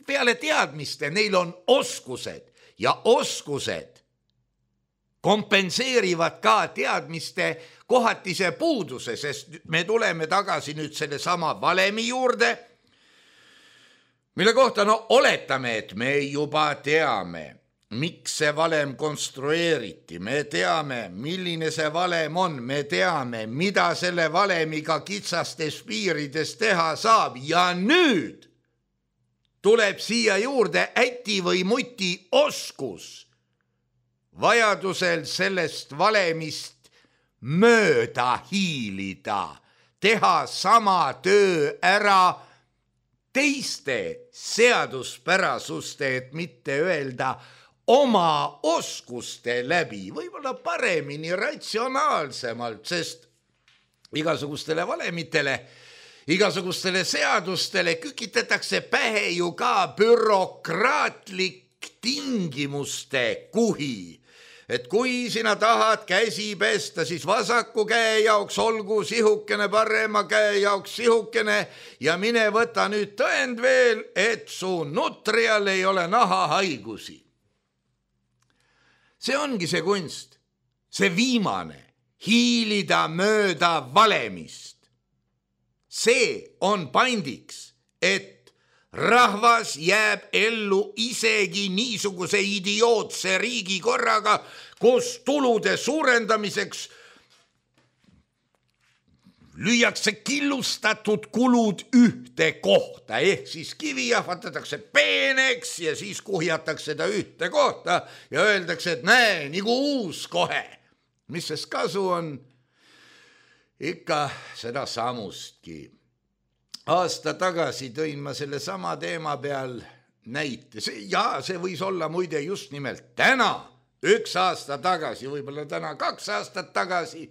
peale teadmiste neil on oskused ja oskused kompenseerivad ka teadmiste kohatise puuduse, sest me tuleme tagasi nüüd selle sama valemi juurde, mille kohta oletame, et me juba teame, miks see valem konstrueeriti, me teame, milline see valem on, me teame, mida selle valemiga kitsastes piirides teha saab ja nüüd tuleb siia juurde äti või muti oskus vajadusel sellest valemist mööda hiilida, teha sama töö ära teiste seaduspärasuste, et mitte öelda oma oskuste läbi, võib-olla paremini, ratsionaalsemalt, sest igasugustele valemitele, igasugustele seadustele kükitatakse pähe ju ka bürokraatlik tingimuste kuhi. Et kui sina tahad käsi pesta, siis vasaku käe jaoks olgu sihukene, parema käe jaoks sihukene ja mine võta nüüd tõend veel, et su nutrial ei ole nahahaigusi. See ongi see kunst, see viimane, hiilida mööda valemist. See on pandiks, et rahvas jääb ellu isegi niisuguse idiootse riigikorraga, kus tulude suurendamiseks lüüakse killustatud kulud ühte kohta, ehk siis kivi jahvatatakse peeneks ja siis kuhjatakse ta ühte kohta ja öeldakse, et näe, nagu uus kohe. Mis sest kasu on? Ikka seda samustki. Aasta tagasi tõin ma selle sama teema peal näite. See võis olla muide just nimelt täna, 1 aasta tagasi, võib-olla täna 2 aastat tagasi.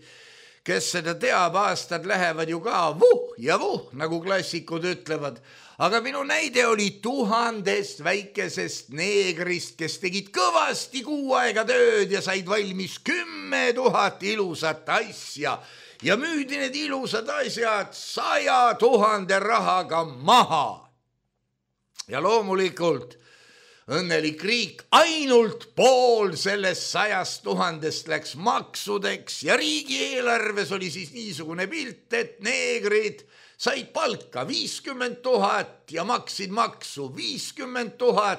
Kes seda teab, aastad lähevad ju ka vuh ja vuh, nagu klassikud ütlevad. Aga minu näide oli 1000 väikesest neegrist, kes tegid kõvasti 6 aega tööd ja said valmis 10 000 ilusat asja. Ja müüdi need ilusad asjad 100 000 rahaga maha. Ja loomulikult õnnelik riik, ainult pool sellest 100 000 läks maksudeks ja riigieelarves oli siis niisugune pilt, et neegrid said palka 50 000 ja maksid maksu 50 000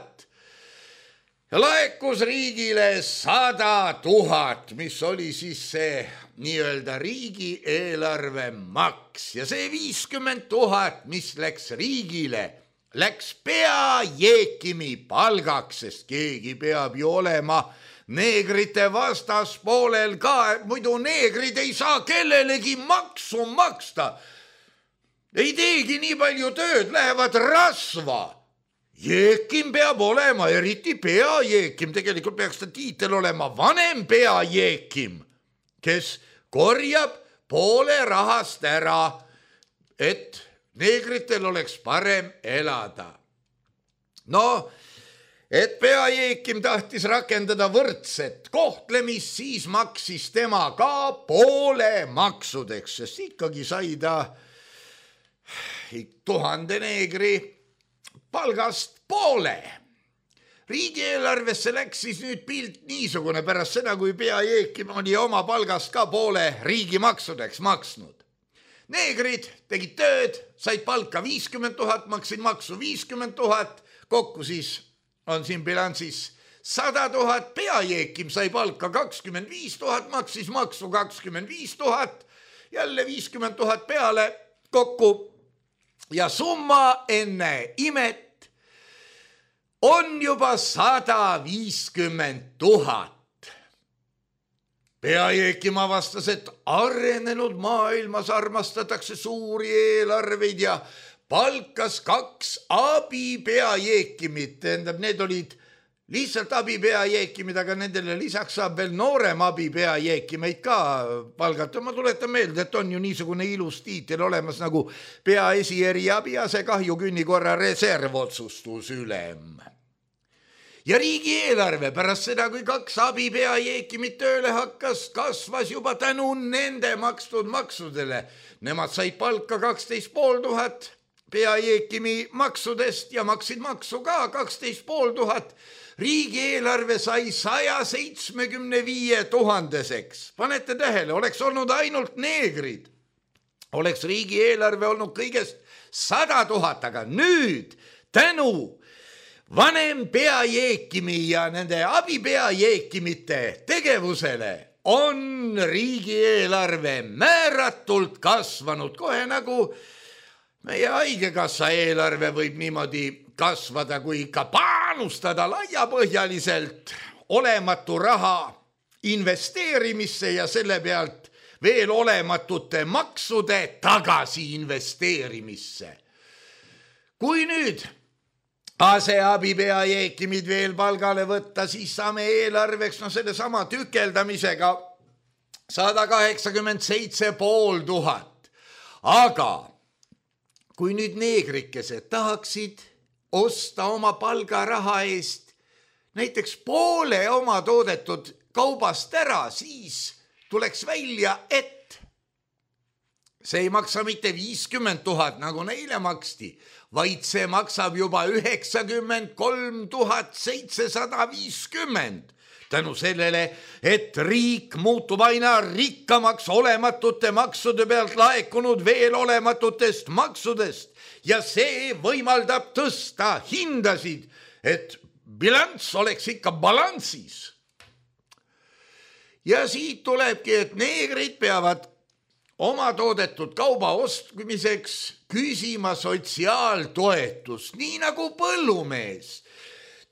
ja laekus riigile 100 000, mis oli siis see nii-öelda riigieelarve maks ja see 50 000, mis läks riigile, läks peajeekimi palgaks, sest keegi peab ju olema neegrite vastaspoolel ka, muidu neegrid ei saa kellelegi maksu maksta. Ei teegi nii palju tööd, lähevad rasva. Jeekim peab olema, eriti peajeekim, tegelikult peaks ta tiitel olema vanem peajeekim, kes korjab poole rahast ära, et neegritel oleks parem elada. No, et peajeekim tahtis rakendada võrdset kohtlemist, siis maksis tema ka poole maksudeks, sest ikkagi sai ta 1000 neegri palgast poole. Riigieelarvesse läks siis nüüd pilt niisugune pärast seda, kui peajeekim oli oma palgast ka poole riigi maksudeks maksnud. Neegrid tegid tööd, said palka 50 000, maksid maksu 50 000, kokku siis on siin bilansis 100 000, peajeekim sai palka 25 000, maksis maksu 25 000, jälle 50 000 peale kokku ja summa enne imet on juba 150 000. Peajeekim avastas, et arenenud maailmas armastatakse suuri eelarveid ja palkas 2 abipeajeekimit. Tähendab, need olid lihtsalt abipeajeekimid, aga nendele lisaks saab veel noorem abipeajeekimeid ka palgata. Ma tuletan meelde, et on ju niisugune ilus tiitel olemas nagu peaesieriabi asekahjukünni korra reservotsustusülem. Ja riigieelarve pärast seda, kui 2 abipeajeekimit tööle hakkas, kasvas juba tänu nende makstud maksudele. Nemad said palka 12 500 peajeekimi maksudest ja maksid maksu ka 12 500. Riigieelarve sai 175 000-seks. Panete tähele, oleks olnud ainult neegrid. Oleks riigieelarve olnud kõigest 100 000, aga nüüd tänu vanem peajeekimi ja nende abipeajeekimite tegevusele on riigieelarve määratult kasvanud, kohe nagu meie haigekassa eelarve võib niimoodi kasvada, kui ikka panustada laiapõhjaliselt olematu raha investeerimisse ja selle pealt veel olematute maksude tagasi investeerimisse. Kui nüüd aseabipea Jeekimid veel palgale võtta, siis saame eelarveks selle sama tükeldamisega 187 500. Aga kui nüüd neegrikesed tahaksid osta oma palgaraha eest näiteks poole oma toodetud kaubast ära, siis tuleks välja, et see ei maksa mitte 50 000, nagu neile maksti, vaid see maksab juba 93 750. Tänu sellele, et riik muutub aina rikkamaks olematute maksude pealt laekunud veel olematutest maksudest ja see võimaldab tõsta hindasid, et bilanss oleks ikka balansis. Ja siit tulebki, et neegrid peavad oma toodetud kauba ostmiseks küsima sotsiaaltoetust, nii nagu põllumees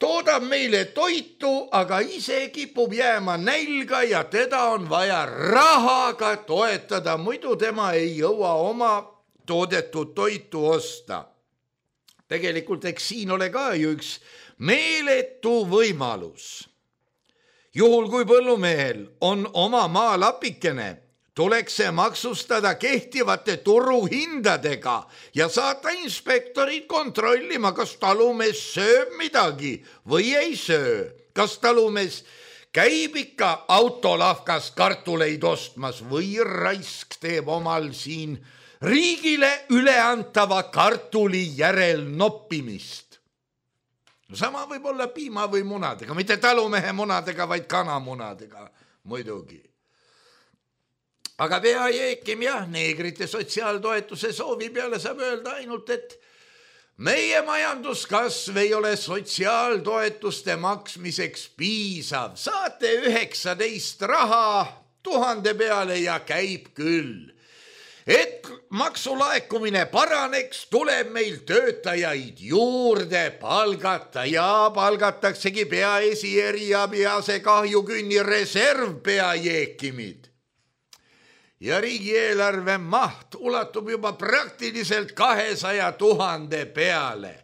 toodab meile toitu, aga ise kipub jääma nälga ja teda on vaja rahaga toetada, muidu tema ei jõua oma toodetud toitu osta. Tegelikult eks siin ole ka ju üks meeletu võimalus. Juhul kui põllumehel on oma maalapikene, tuleks see maksustada kehtivate turuhindadega ja saata inspektorid kontrollima, kas talumees sööb midagi või ei söö. Kas talumees käib ikka autolavkas kartuleid ostmas või raisk teeb omal siin riigile üleantava kartuli järel noppimist. Sama võib olla piima või munadega, mitte talumehe munadega, vaid kanamunadega muidugi. Aga pea Jeekim jah, neegrite sotsiaaltoetuse soovi peale saab öelda ainult, et meie majanduskasv ei ole sotsiaaltoetuste maksmiseks piisav. Saate 19 raha 1000 peale ja käib küll. Et maksulaekumine paraneks, tuleb meil töötajaid juurde palgata ja palgataksegi peaesi eriabi asekahjukünni reservpea Jeekimid. Ja riigieelarve maht ulatub juba praktiliselt 200 000 peale.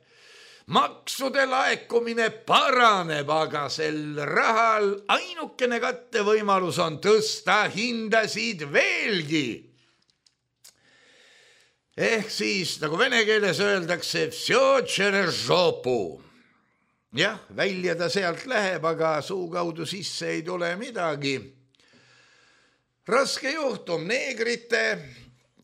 Maksude laekumine paraneb, aga sel rahal ainukene kattevõimalus on tõsta hindasid veelgi. Ehk siis, nagu vene keeles öeldakse, vsё через жопу. Jah, välja ta sealt läheb, aga suu kaudu sisse ei tule midagi. Raske juhtum, neegrite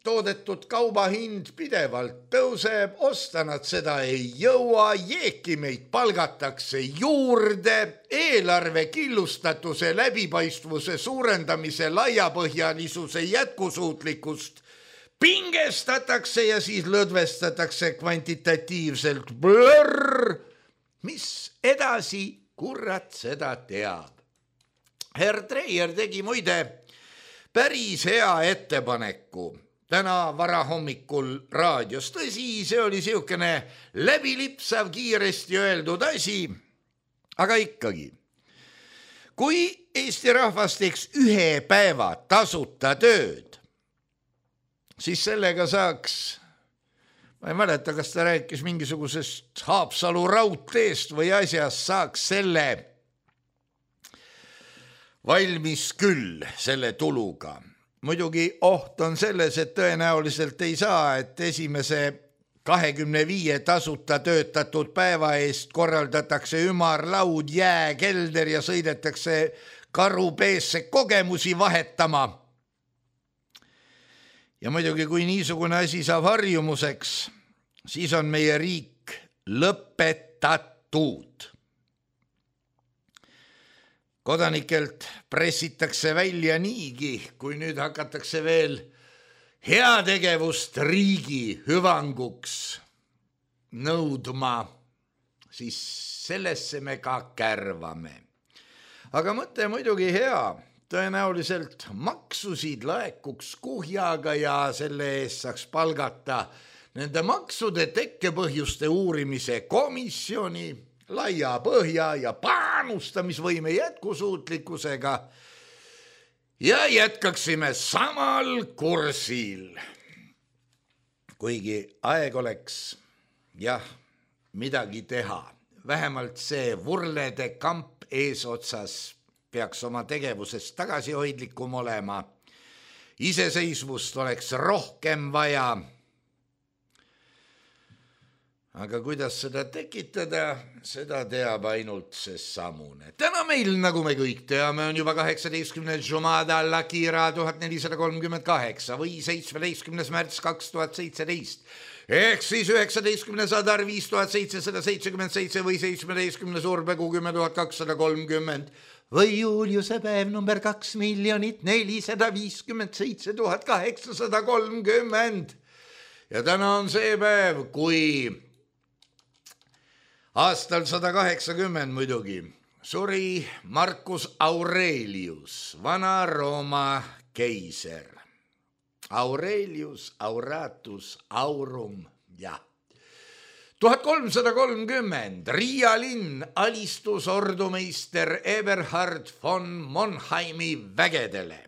toodetud kauba hind pidevalt tõuseb, osta nad seda ei jõua, Jeekimeid palgatakse juurde, eelarve killustatuse, läbipaistvuse suurendamise, laiapõhjalisuse jätkusuutlikkust pingestatakse ja siis lõdvestatakse kvantitatiivselt. Blurr! Mis edasi, kurat seda teab. Herr Treier tegi muide päris hea ettepaneku täna varahommikul raadios. Tõsi, see oli siukene läbilipsav, kiiresti öeldud asi, aga ikkagi. Kui Eesti rahvas teeks 1 päeva tasuta tööd, siis sellega saaks, ma ei mäleta, kas ta rääkis mingisugusest Haapsalu raudteest või asjast, saaks selle valmis küll selle tuluga. Muidugi oht on selles, et tõenäoliselt ei saa, et esimese 25 tasuta töötatud päeva eest korraldatakse ümarlaud, jääkelder ja sõidetakse karupeesse kogemusi vahetama. Ja muidugi, kui niisugune asi saab harjumuseks, siis on meie riik lõpetatud. Kodanikelt pressitakse välja niigi, kui nüüd hakatakse veel heategevust riigi hüvanguks nõudma, siis sellesse me ka kärvame. Aga mõte muidugi hea, tõenäoliselt maksusid laekuks kuhjaga ja selle eest saaks palgata nende maksude tekkepõhjuste uurimise komisjoni laia põhja ja panustamisvõime jätkusuutlikkusega ja jätkaksime samal kursil. Kuigi aeg oleks jah midagi teha, vähemalt see vurlede kamp eesotsas peaks oma tegevuses tagasihoidlikum olema. Iseseisvust oleks rohkem vaja. Aga kuidas seda tekitada, seda teab ainult see samune. Täna meil, nagu me kõik teame, on juba 18. Jumada al-Akira 1438 või 17. märts 2017. Ehk siis 19. Sadar 5777 või 17. Surbekuu 10230 või Juliuse päev number 2,457,830. Ja täna on see päev, kui aastal 180 muidugi suri Marcus Aurelius, Vana-Rooma keiser. Aurelius, Auratus, Aurum, jah. 1330 Riia linn alistus ordumeister Eberhard von Monheimi vägedele.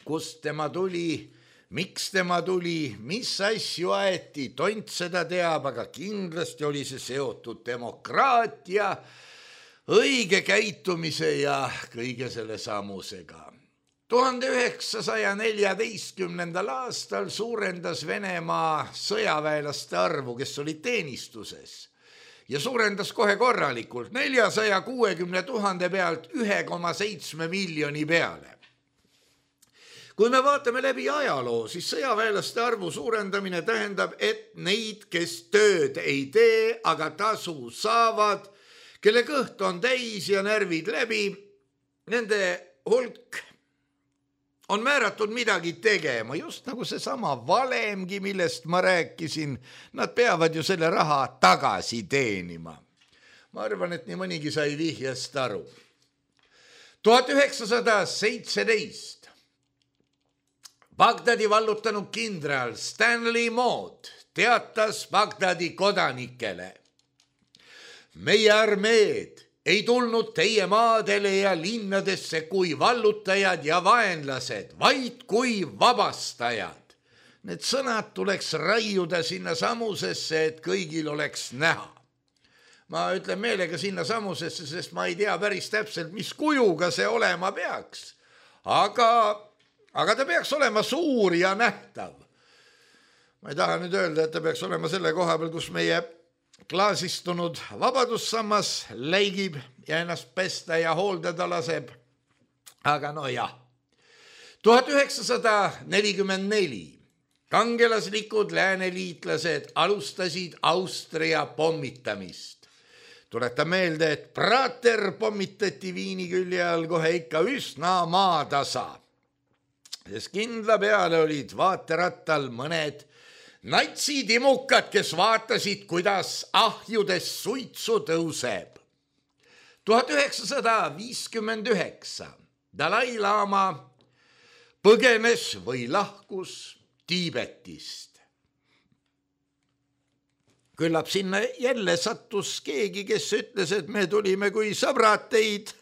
Kust tema tuli, miks tema tuli, mis asju aeti, tont seda teab, aga kindlasti oli see seotud demokraatia, õige käitumise ja kõige selle samusega. 1914. aastal suurendas Venemaa sõjaväelaste arvu, kes olid teenistuses ja suurendas kohe korralikult 460 000 pealt 1,7 miljoni peale. Kui me vaatame läbi ajaloo, siis sõjaväelaste arvu suurendamine tähendab, et neid, kes tööd ei tee, aga tasu saavad, kelle kõht on täis ja närvid läbi, nende hulk on määratud midagi tegema, just nagu seesama valemgi, millest ma rääkisin, nad peavad ju selle raha tagasi teenima. Ma arvan, et nii mõnigi sai vihjast aru. 1917 Bagdadi vallutanud kindral Stanley Maud teatas Bagdadi kodanikele: meie armeed ei tulnud teie maadele ja linnadesse kui vallutajad ja vaenlased, vaid kui vabastajad. Need sõnad tuleks raiuda sinna samusesse, et kõigil oleks näha. Ma ütlen meelega sinna samusesse, sest ma ei tea päris täpselt, mis kujuga see olema peaks. Aga ta peaks olema suur ja nähtav. Ma ei taha nüüd öelda, et ta peaks olema selle koha peal, kus meie klaasistunud vabadussammas läigib ja ennast pesta ja hooldada laseb. Aga no jah. 1944 kangelaslikud lääneliitlased alustasid Austria pommitamist. Tuleta meelde, et Prater pommitati Viini külje all kohe ikka üsna maatasa. Sest kindla peale olid vaaterattal mõned natsitimukad, kes vaatasid, kuidas ahjudes suitsu tõuseb. 1959 Dalai Lama põgenes või lahkus Tiibetist. Küllap sinna jälle sattus keegi, kes ütles, et me tulime kui sõbrad teid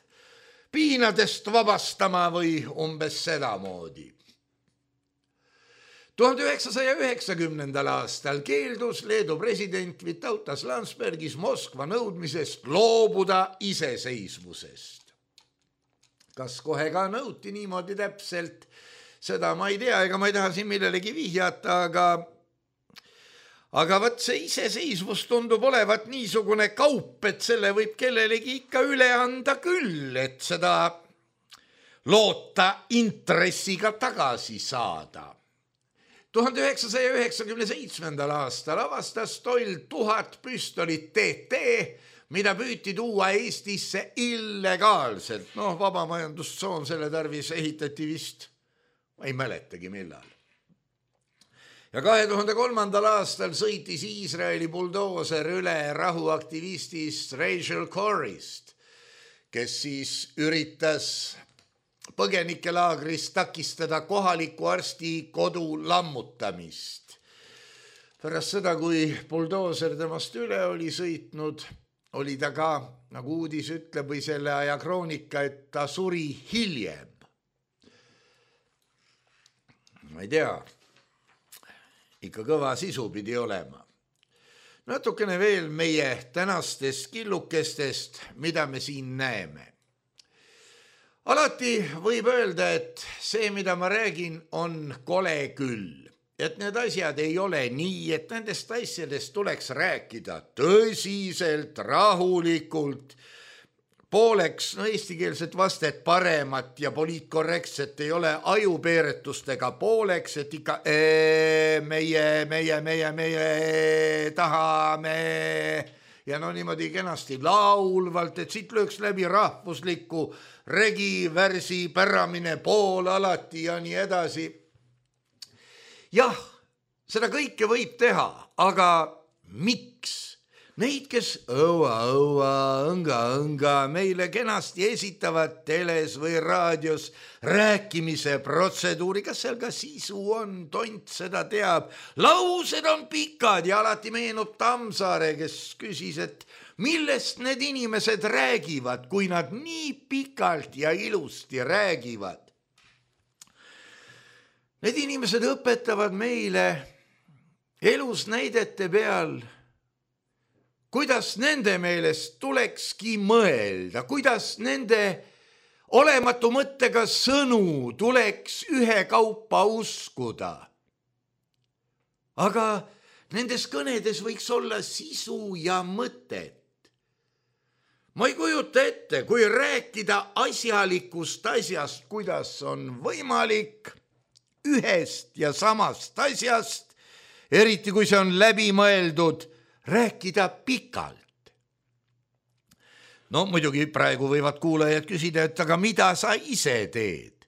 piinadest vabastama või umbes sedamoodi. 1990. aastal keeldus Leedu president Vytautas Landsbergis Moskva nõudmisest loobuda iseseisvusest. Kas kohe ka nõuti niimoodi täpselt? Seda ma ei tea, ega ma ei taha siin millelegi vihjata, aga võt see iseseisvus tundub olevat niisugune kaup, et selle võib kellelegi ikka üle anda küll, et seda loota intressiga tagasi saada. 1997. aastal avastas Toll 1000 püstolit TT, mida püüti tuua Eestisse illegaalselt. Vabamajandustsoon selle tarvis ehitati vist, ma ei mäletagi millal. Ja 2003. aastal sõitis Iisraeli buldooser üle rahuaktivistist Rachel Corrist, kes siis üritas põgenikelaagris takistada kohaliku arsti kodu lammutamist. pärast seda, kui buldooser temast üle oli sõitnud, oli ta ka, nagu uudis ütleb või selle aja kroonika, et ta suri hiljem. Ma ei tea, ikka kõva sisu pidi olema. Natukene veel meie tänastest killukestest, mida me siin näeme. Alati võib öelda, et see, mida ma räägin, on kole küll. Et need asjad ei ole nii, et nendest asjadest tuleks rääkida tõsiselt, rahulikult, pooleks eestikeelset vastet paremat ja poliitkorrektset ei ole ajupeeretustega pooleks, et ikka meie tahame ja no niimoodi kenasti laulvalt, et siit lööks läbi rahvusliku regivärsi päramine pool alati ja nii edasi. Jah, seda kõike võib teha, aga miks? Neid, kes õnga meile kenasti esitavad teles või raadios rääkimise protseduuri, kas seal ka sisu on, tont seda teab. Laused on pikad ja alati meenub Tammsaare, kes küsis, et millest need inimesed räägivad, kui nad nii pikalt ja ilusti räägivad. Need inimesed õpetavad meile elus näidete peal, kuidas nende meelest tulekski mõelda, kuidas nende olematu mõttega sõnu tuleks ühekaupa uskuda. Aga nendes kõnedes võiks olla sisu ja mõtet. Ma ei kujuta ette, kui rääkida asjalikust asjast, kuidas on võimalik ühest ja samast asjast, eriti kui see on läbi mõeldud, rääkida pikalt. No muidugi praegu võivad kuulajad küsida, et aga mida sa ise teed?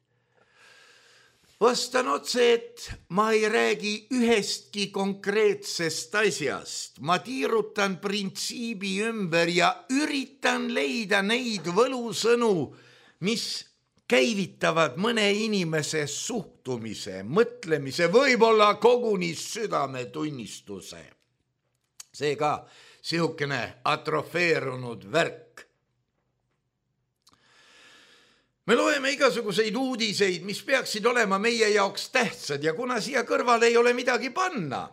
Vastan otse, et ma ei räägi ühestki konkreetsest asjast. Ma tiirutan printsiibi ümber ja üritan leida neid võlusõnu, mis käivitavad mõne inimese suhtumise, mõtlemise, võib-olla koguni südametunnistuse. See ka sihukene atrofeerunud värk. Me loeme igasuguseid uudiseid, mis peaksid olema meie jaoks tähtsad ja kuna siia kõrvale ei ole midagi panna,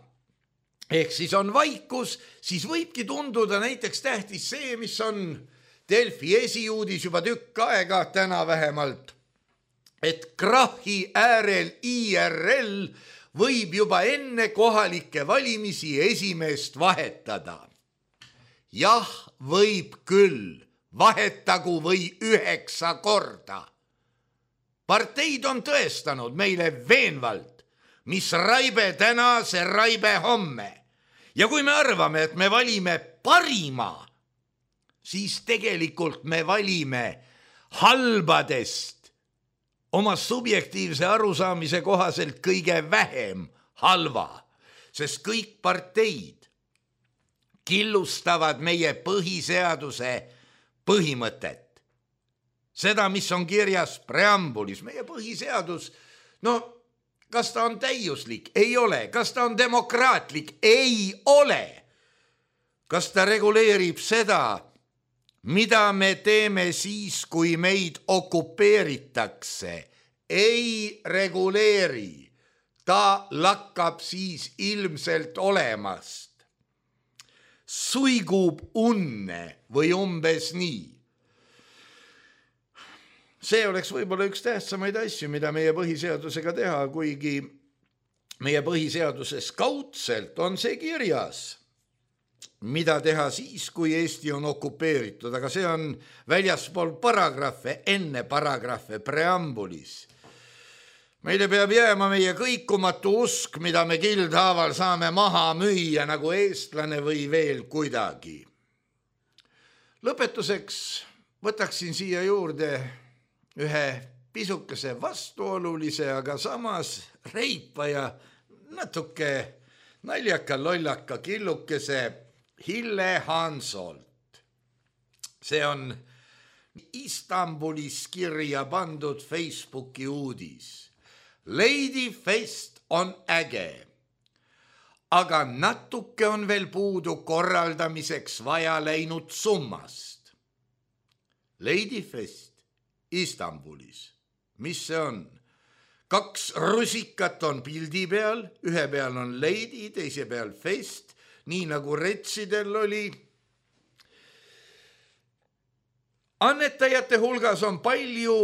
ehk siis on vaikus, siis võibki tunduda näiteks tähtis see, mis on Delfi esiuudis juba tükk aega, täna vähemalt, et krahi äärel IRL võib juba enne kohalikke valimisi esimeest vahetada. Jah, võib küll, vahetagu või 9 korda. Parteid on tõestanud meile veenvalt, mis raibe täna, see raibe homme. Ja kui me arvame, et me valime parima, siis tegelikult me valime halbadest oma subjektiivse arusaamise kohaselt kõige vähem halva, sest kõik parteid killustavad meie põhiseaduse põhimõtet. Seda, mis on kirjas preambulis, meie põhiseadus, no kas ta on täiuslik? Ei ole. Kas ta on demokraatlik? Ei ole. Kas ta reguleerib seda, mida me teeme siis, kui meid okupeeritakse? Ei reguleeri. Ta lakkab siis ilmselt olemast. Suigub unne või umbes nii. See oleks võib-olla üks tähtsamaid asju, mida meie põhiseadusega teha, kuigi meie põhiseaduses kaudselt on see kirjas, mida teha siis, kui Eesti on okupeeritud, aga see on väljaspool paragrahve, enne paragrahve preambulis. Meile peab jääma meie kõikumatu usk, mida me kildhaaval saame maha müüa nagu eestlane või veel kuidagi. Lõpetuseks võtaksin siia juurde ühe pisukese vastuolulise, aga samas reipa ja natuke naljaka lollaka killukese Hille Hansolt. See on Istanbulis kirja pandud Facebooki uudis. Lady Fest on äge, aga natuke on veel puudu korraldamiseks vaja läinud summast. Ladyfest Istanbulis, mis see on? 2 rusikat on pildi peal, ühe peal on lady, teise peal fest, nii nagu retsidel oli. Annetajate hulgas on palju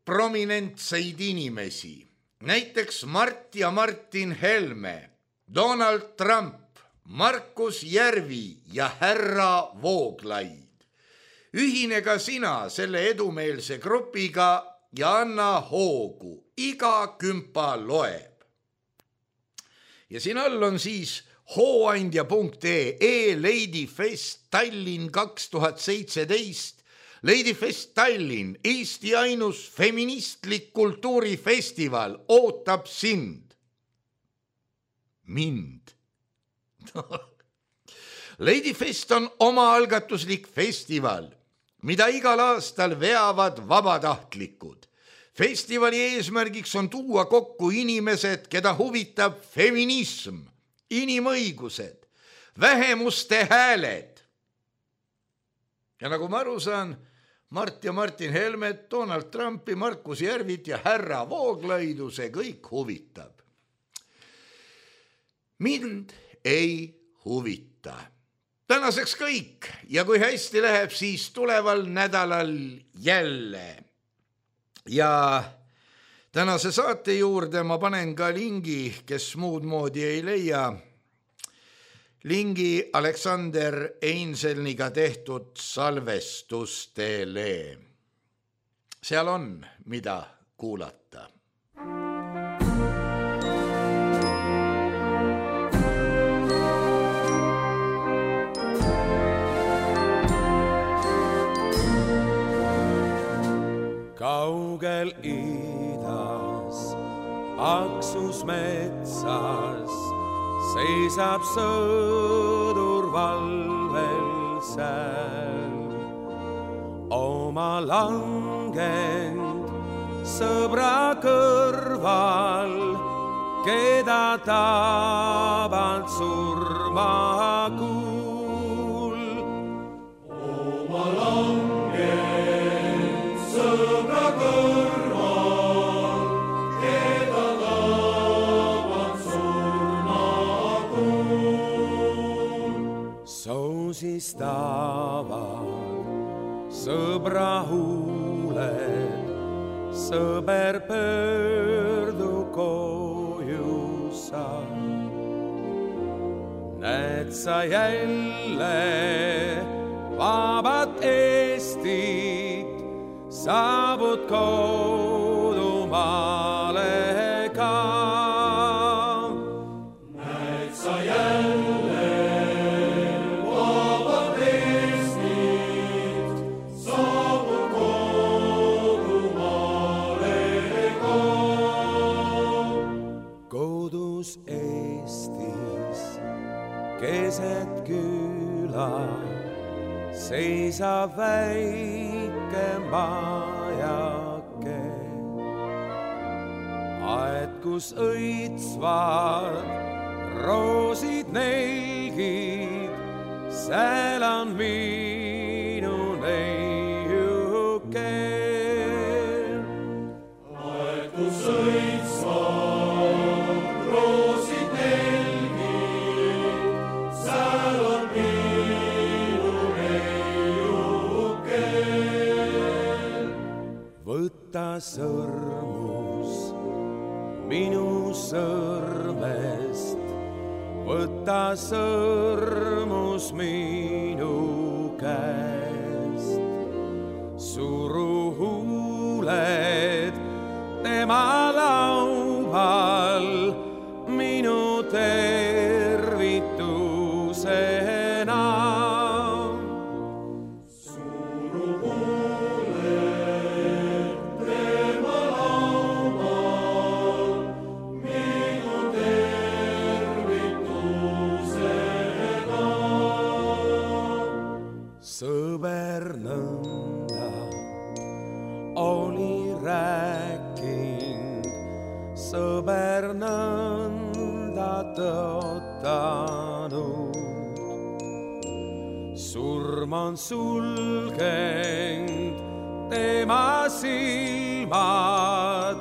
prominentseid inimesi, näiteks Mart ja Martin Helme, Donald Trump, Markus Järvi ja härra Vooglaid. Ühine ka sina selle edumeelse grupiga ja anna hoogu, iga kümpa loeb. Ja siin all on siis hooandja.ee Ladyfest Tallinn 2017. Ladyfest Tallinn, Eesti ainus feministlik kultuurifestival ootab sind. Mind. Ladyfest on omaalgatuslik festival, mida igal aastal veavad vabatahtlikud. Festivali eesmärgiks on tuua kokku inimesed, keda huvitab feminism, inimõigused, vähemuste hääled. Ja nagu ma aru saan, Mart ja Martin Helmet, Donald Trumpi, Markus Järvit ja härra Vooglaidu see kõik huvitab. Mind ei huvita. Tänaseks kõik ja kui hästi läheb, siis tuleval nädalal jälle. Ja tänase saate juurde ma panen ka lingi, kes muud moodi ei leia. Lingi Aleksander Einselniga tehtud salvestustele. Seal on, mida kuulata. Kaugel idas, Aksus metsas, seisab sõdur valvel seal. Oma langend sõbra kõrval, keda tabalt surmakuul. Oma langend sõbra kõrval, keda tabalt surmakuul. Soosistavad sõbra huuled, sõber pöördu koju sa. Näed sa jälle vabat Eestit, saabud kodumaale ka. Näed sa jälle vabat Eestit, saabud kodumaale ka. Kodus Eestis keset küla seisab väike majake. Aed, kus õitsvad roosid nelgid, seal on minu neiuke. Aed, kus õitsvad roosid nelgid, seal on minu neiuke. Võta sõrmus minu sõrmest, võta sõrmus minu käest. Suru huuled tema laual minu tervitusena. Suru huuled tema laual minu tervitusena. Sõber nõnda on sulgenud tema silmad,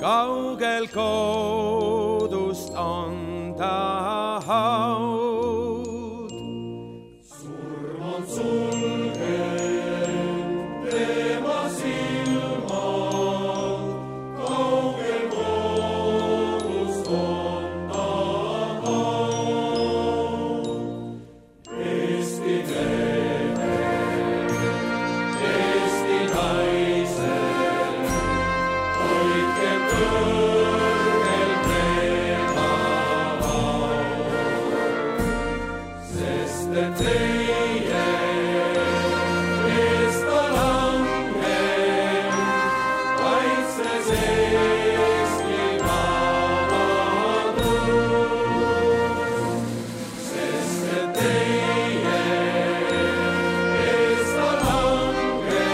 kaugel kodust on ta haud. Surm on sulgenud tema silmad, kaugel kodust on ta haud. Eesti mehe, Eesti naise, hoidke kõrgel tema haud, sest et teie eest ta langeb, kaitses Eesti vabadust, sest et teie eest ta langeb,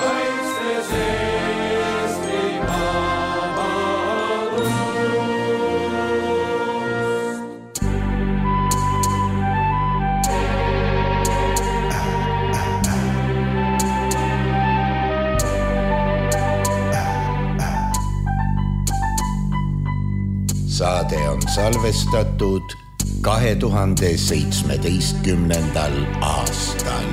kaitses Eesti vabadust. Saade on salvestatud 2017. aastal.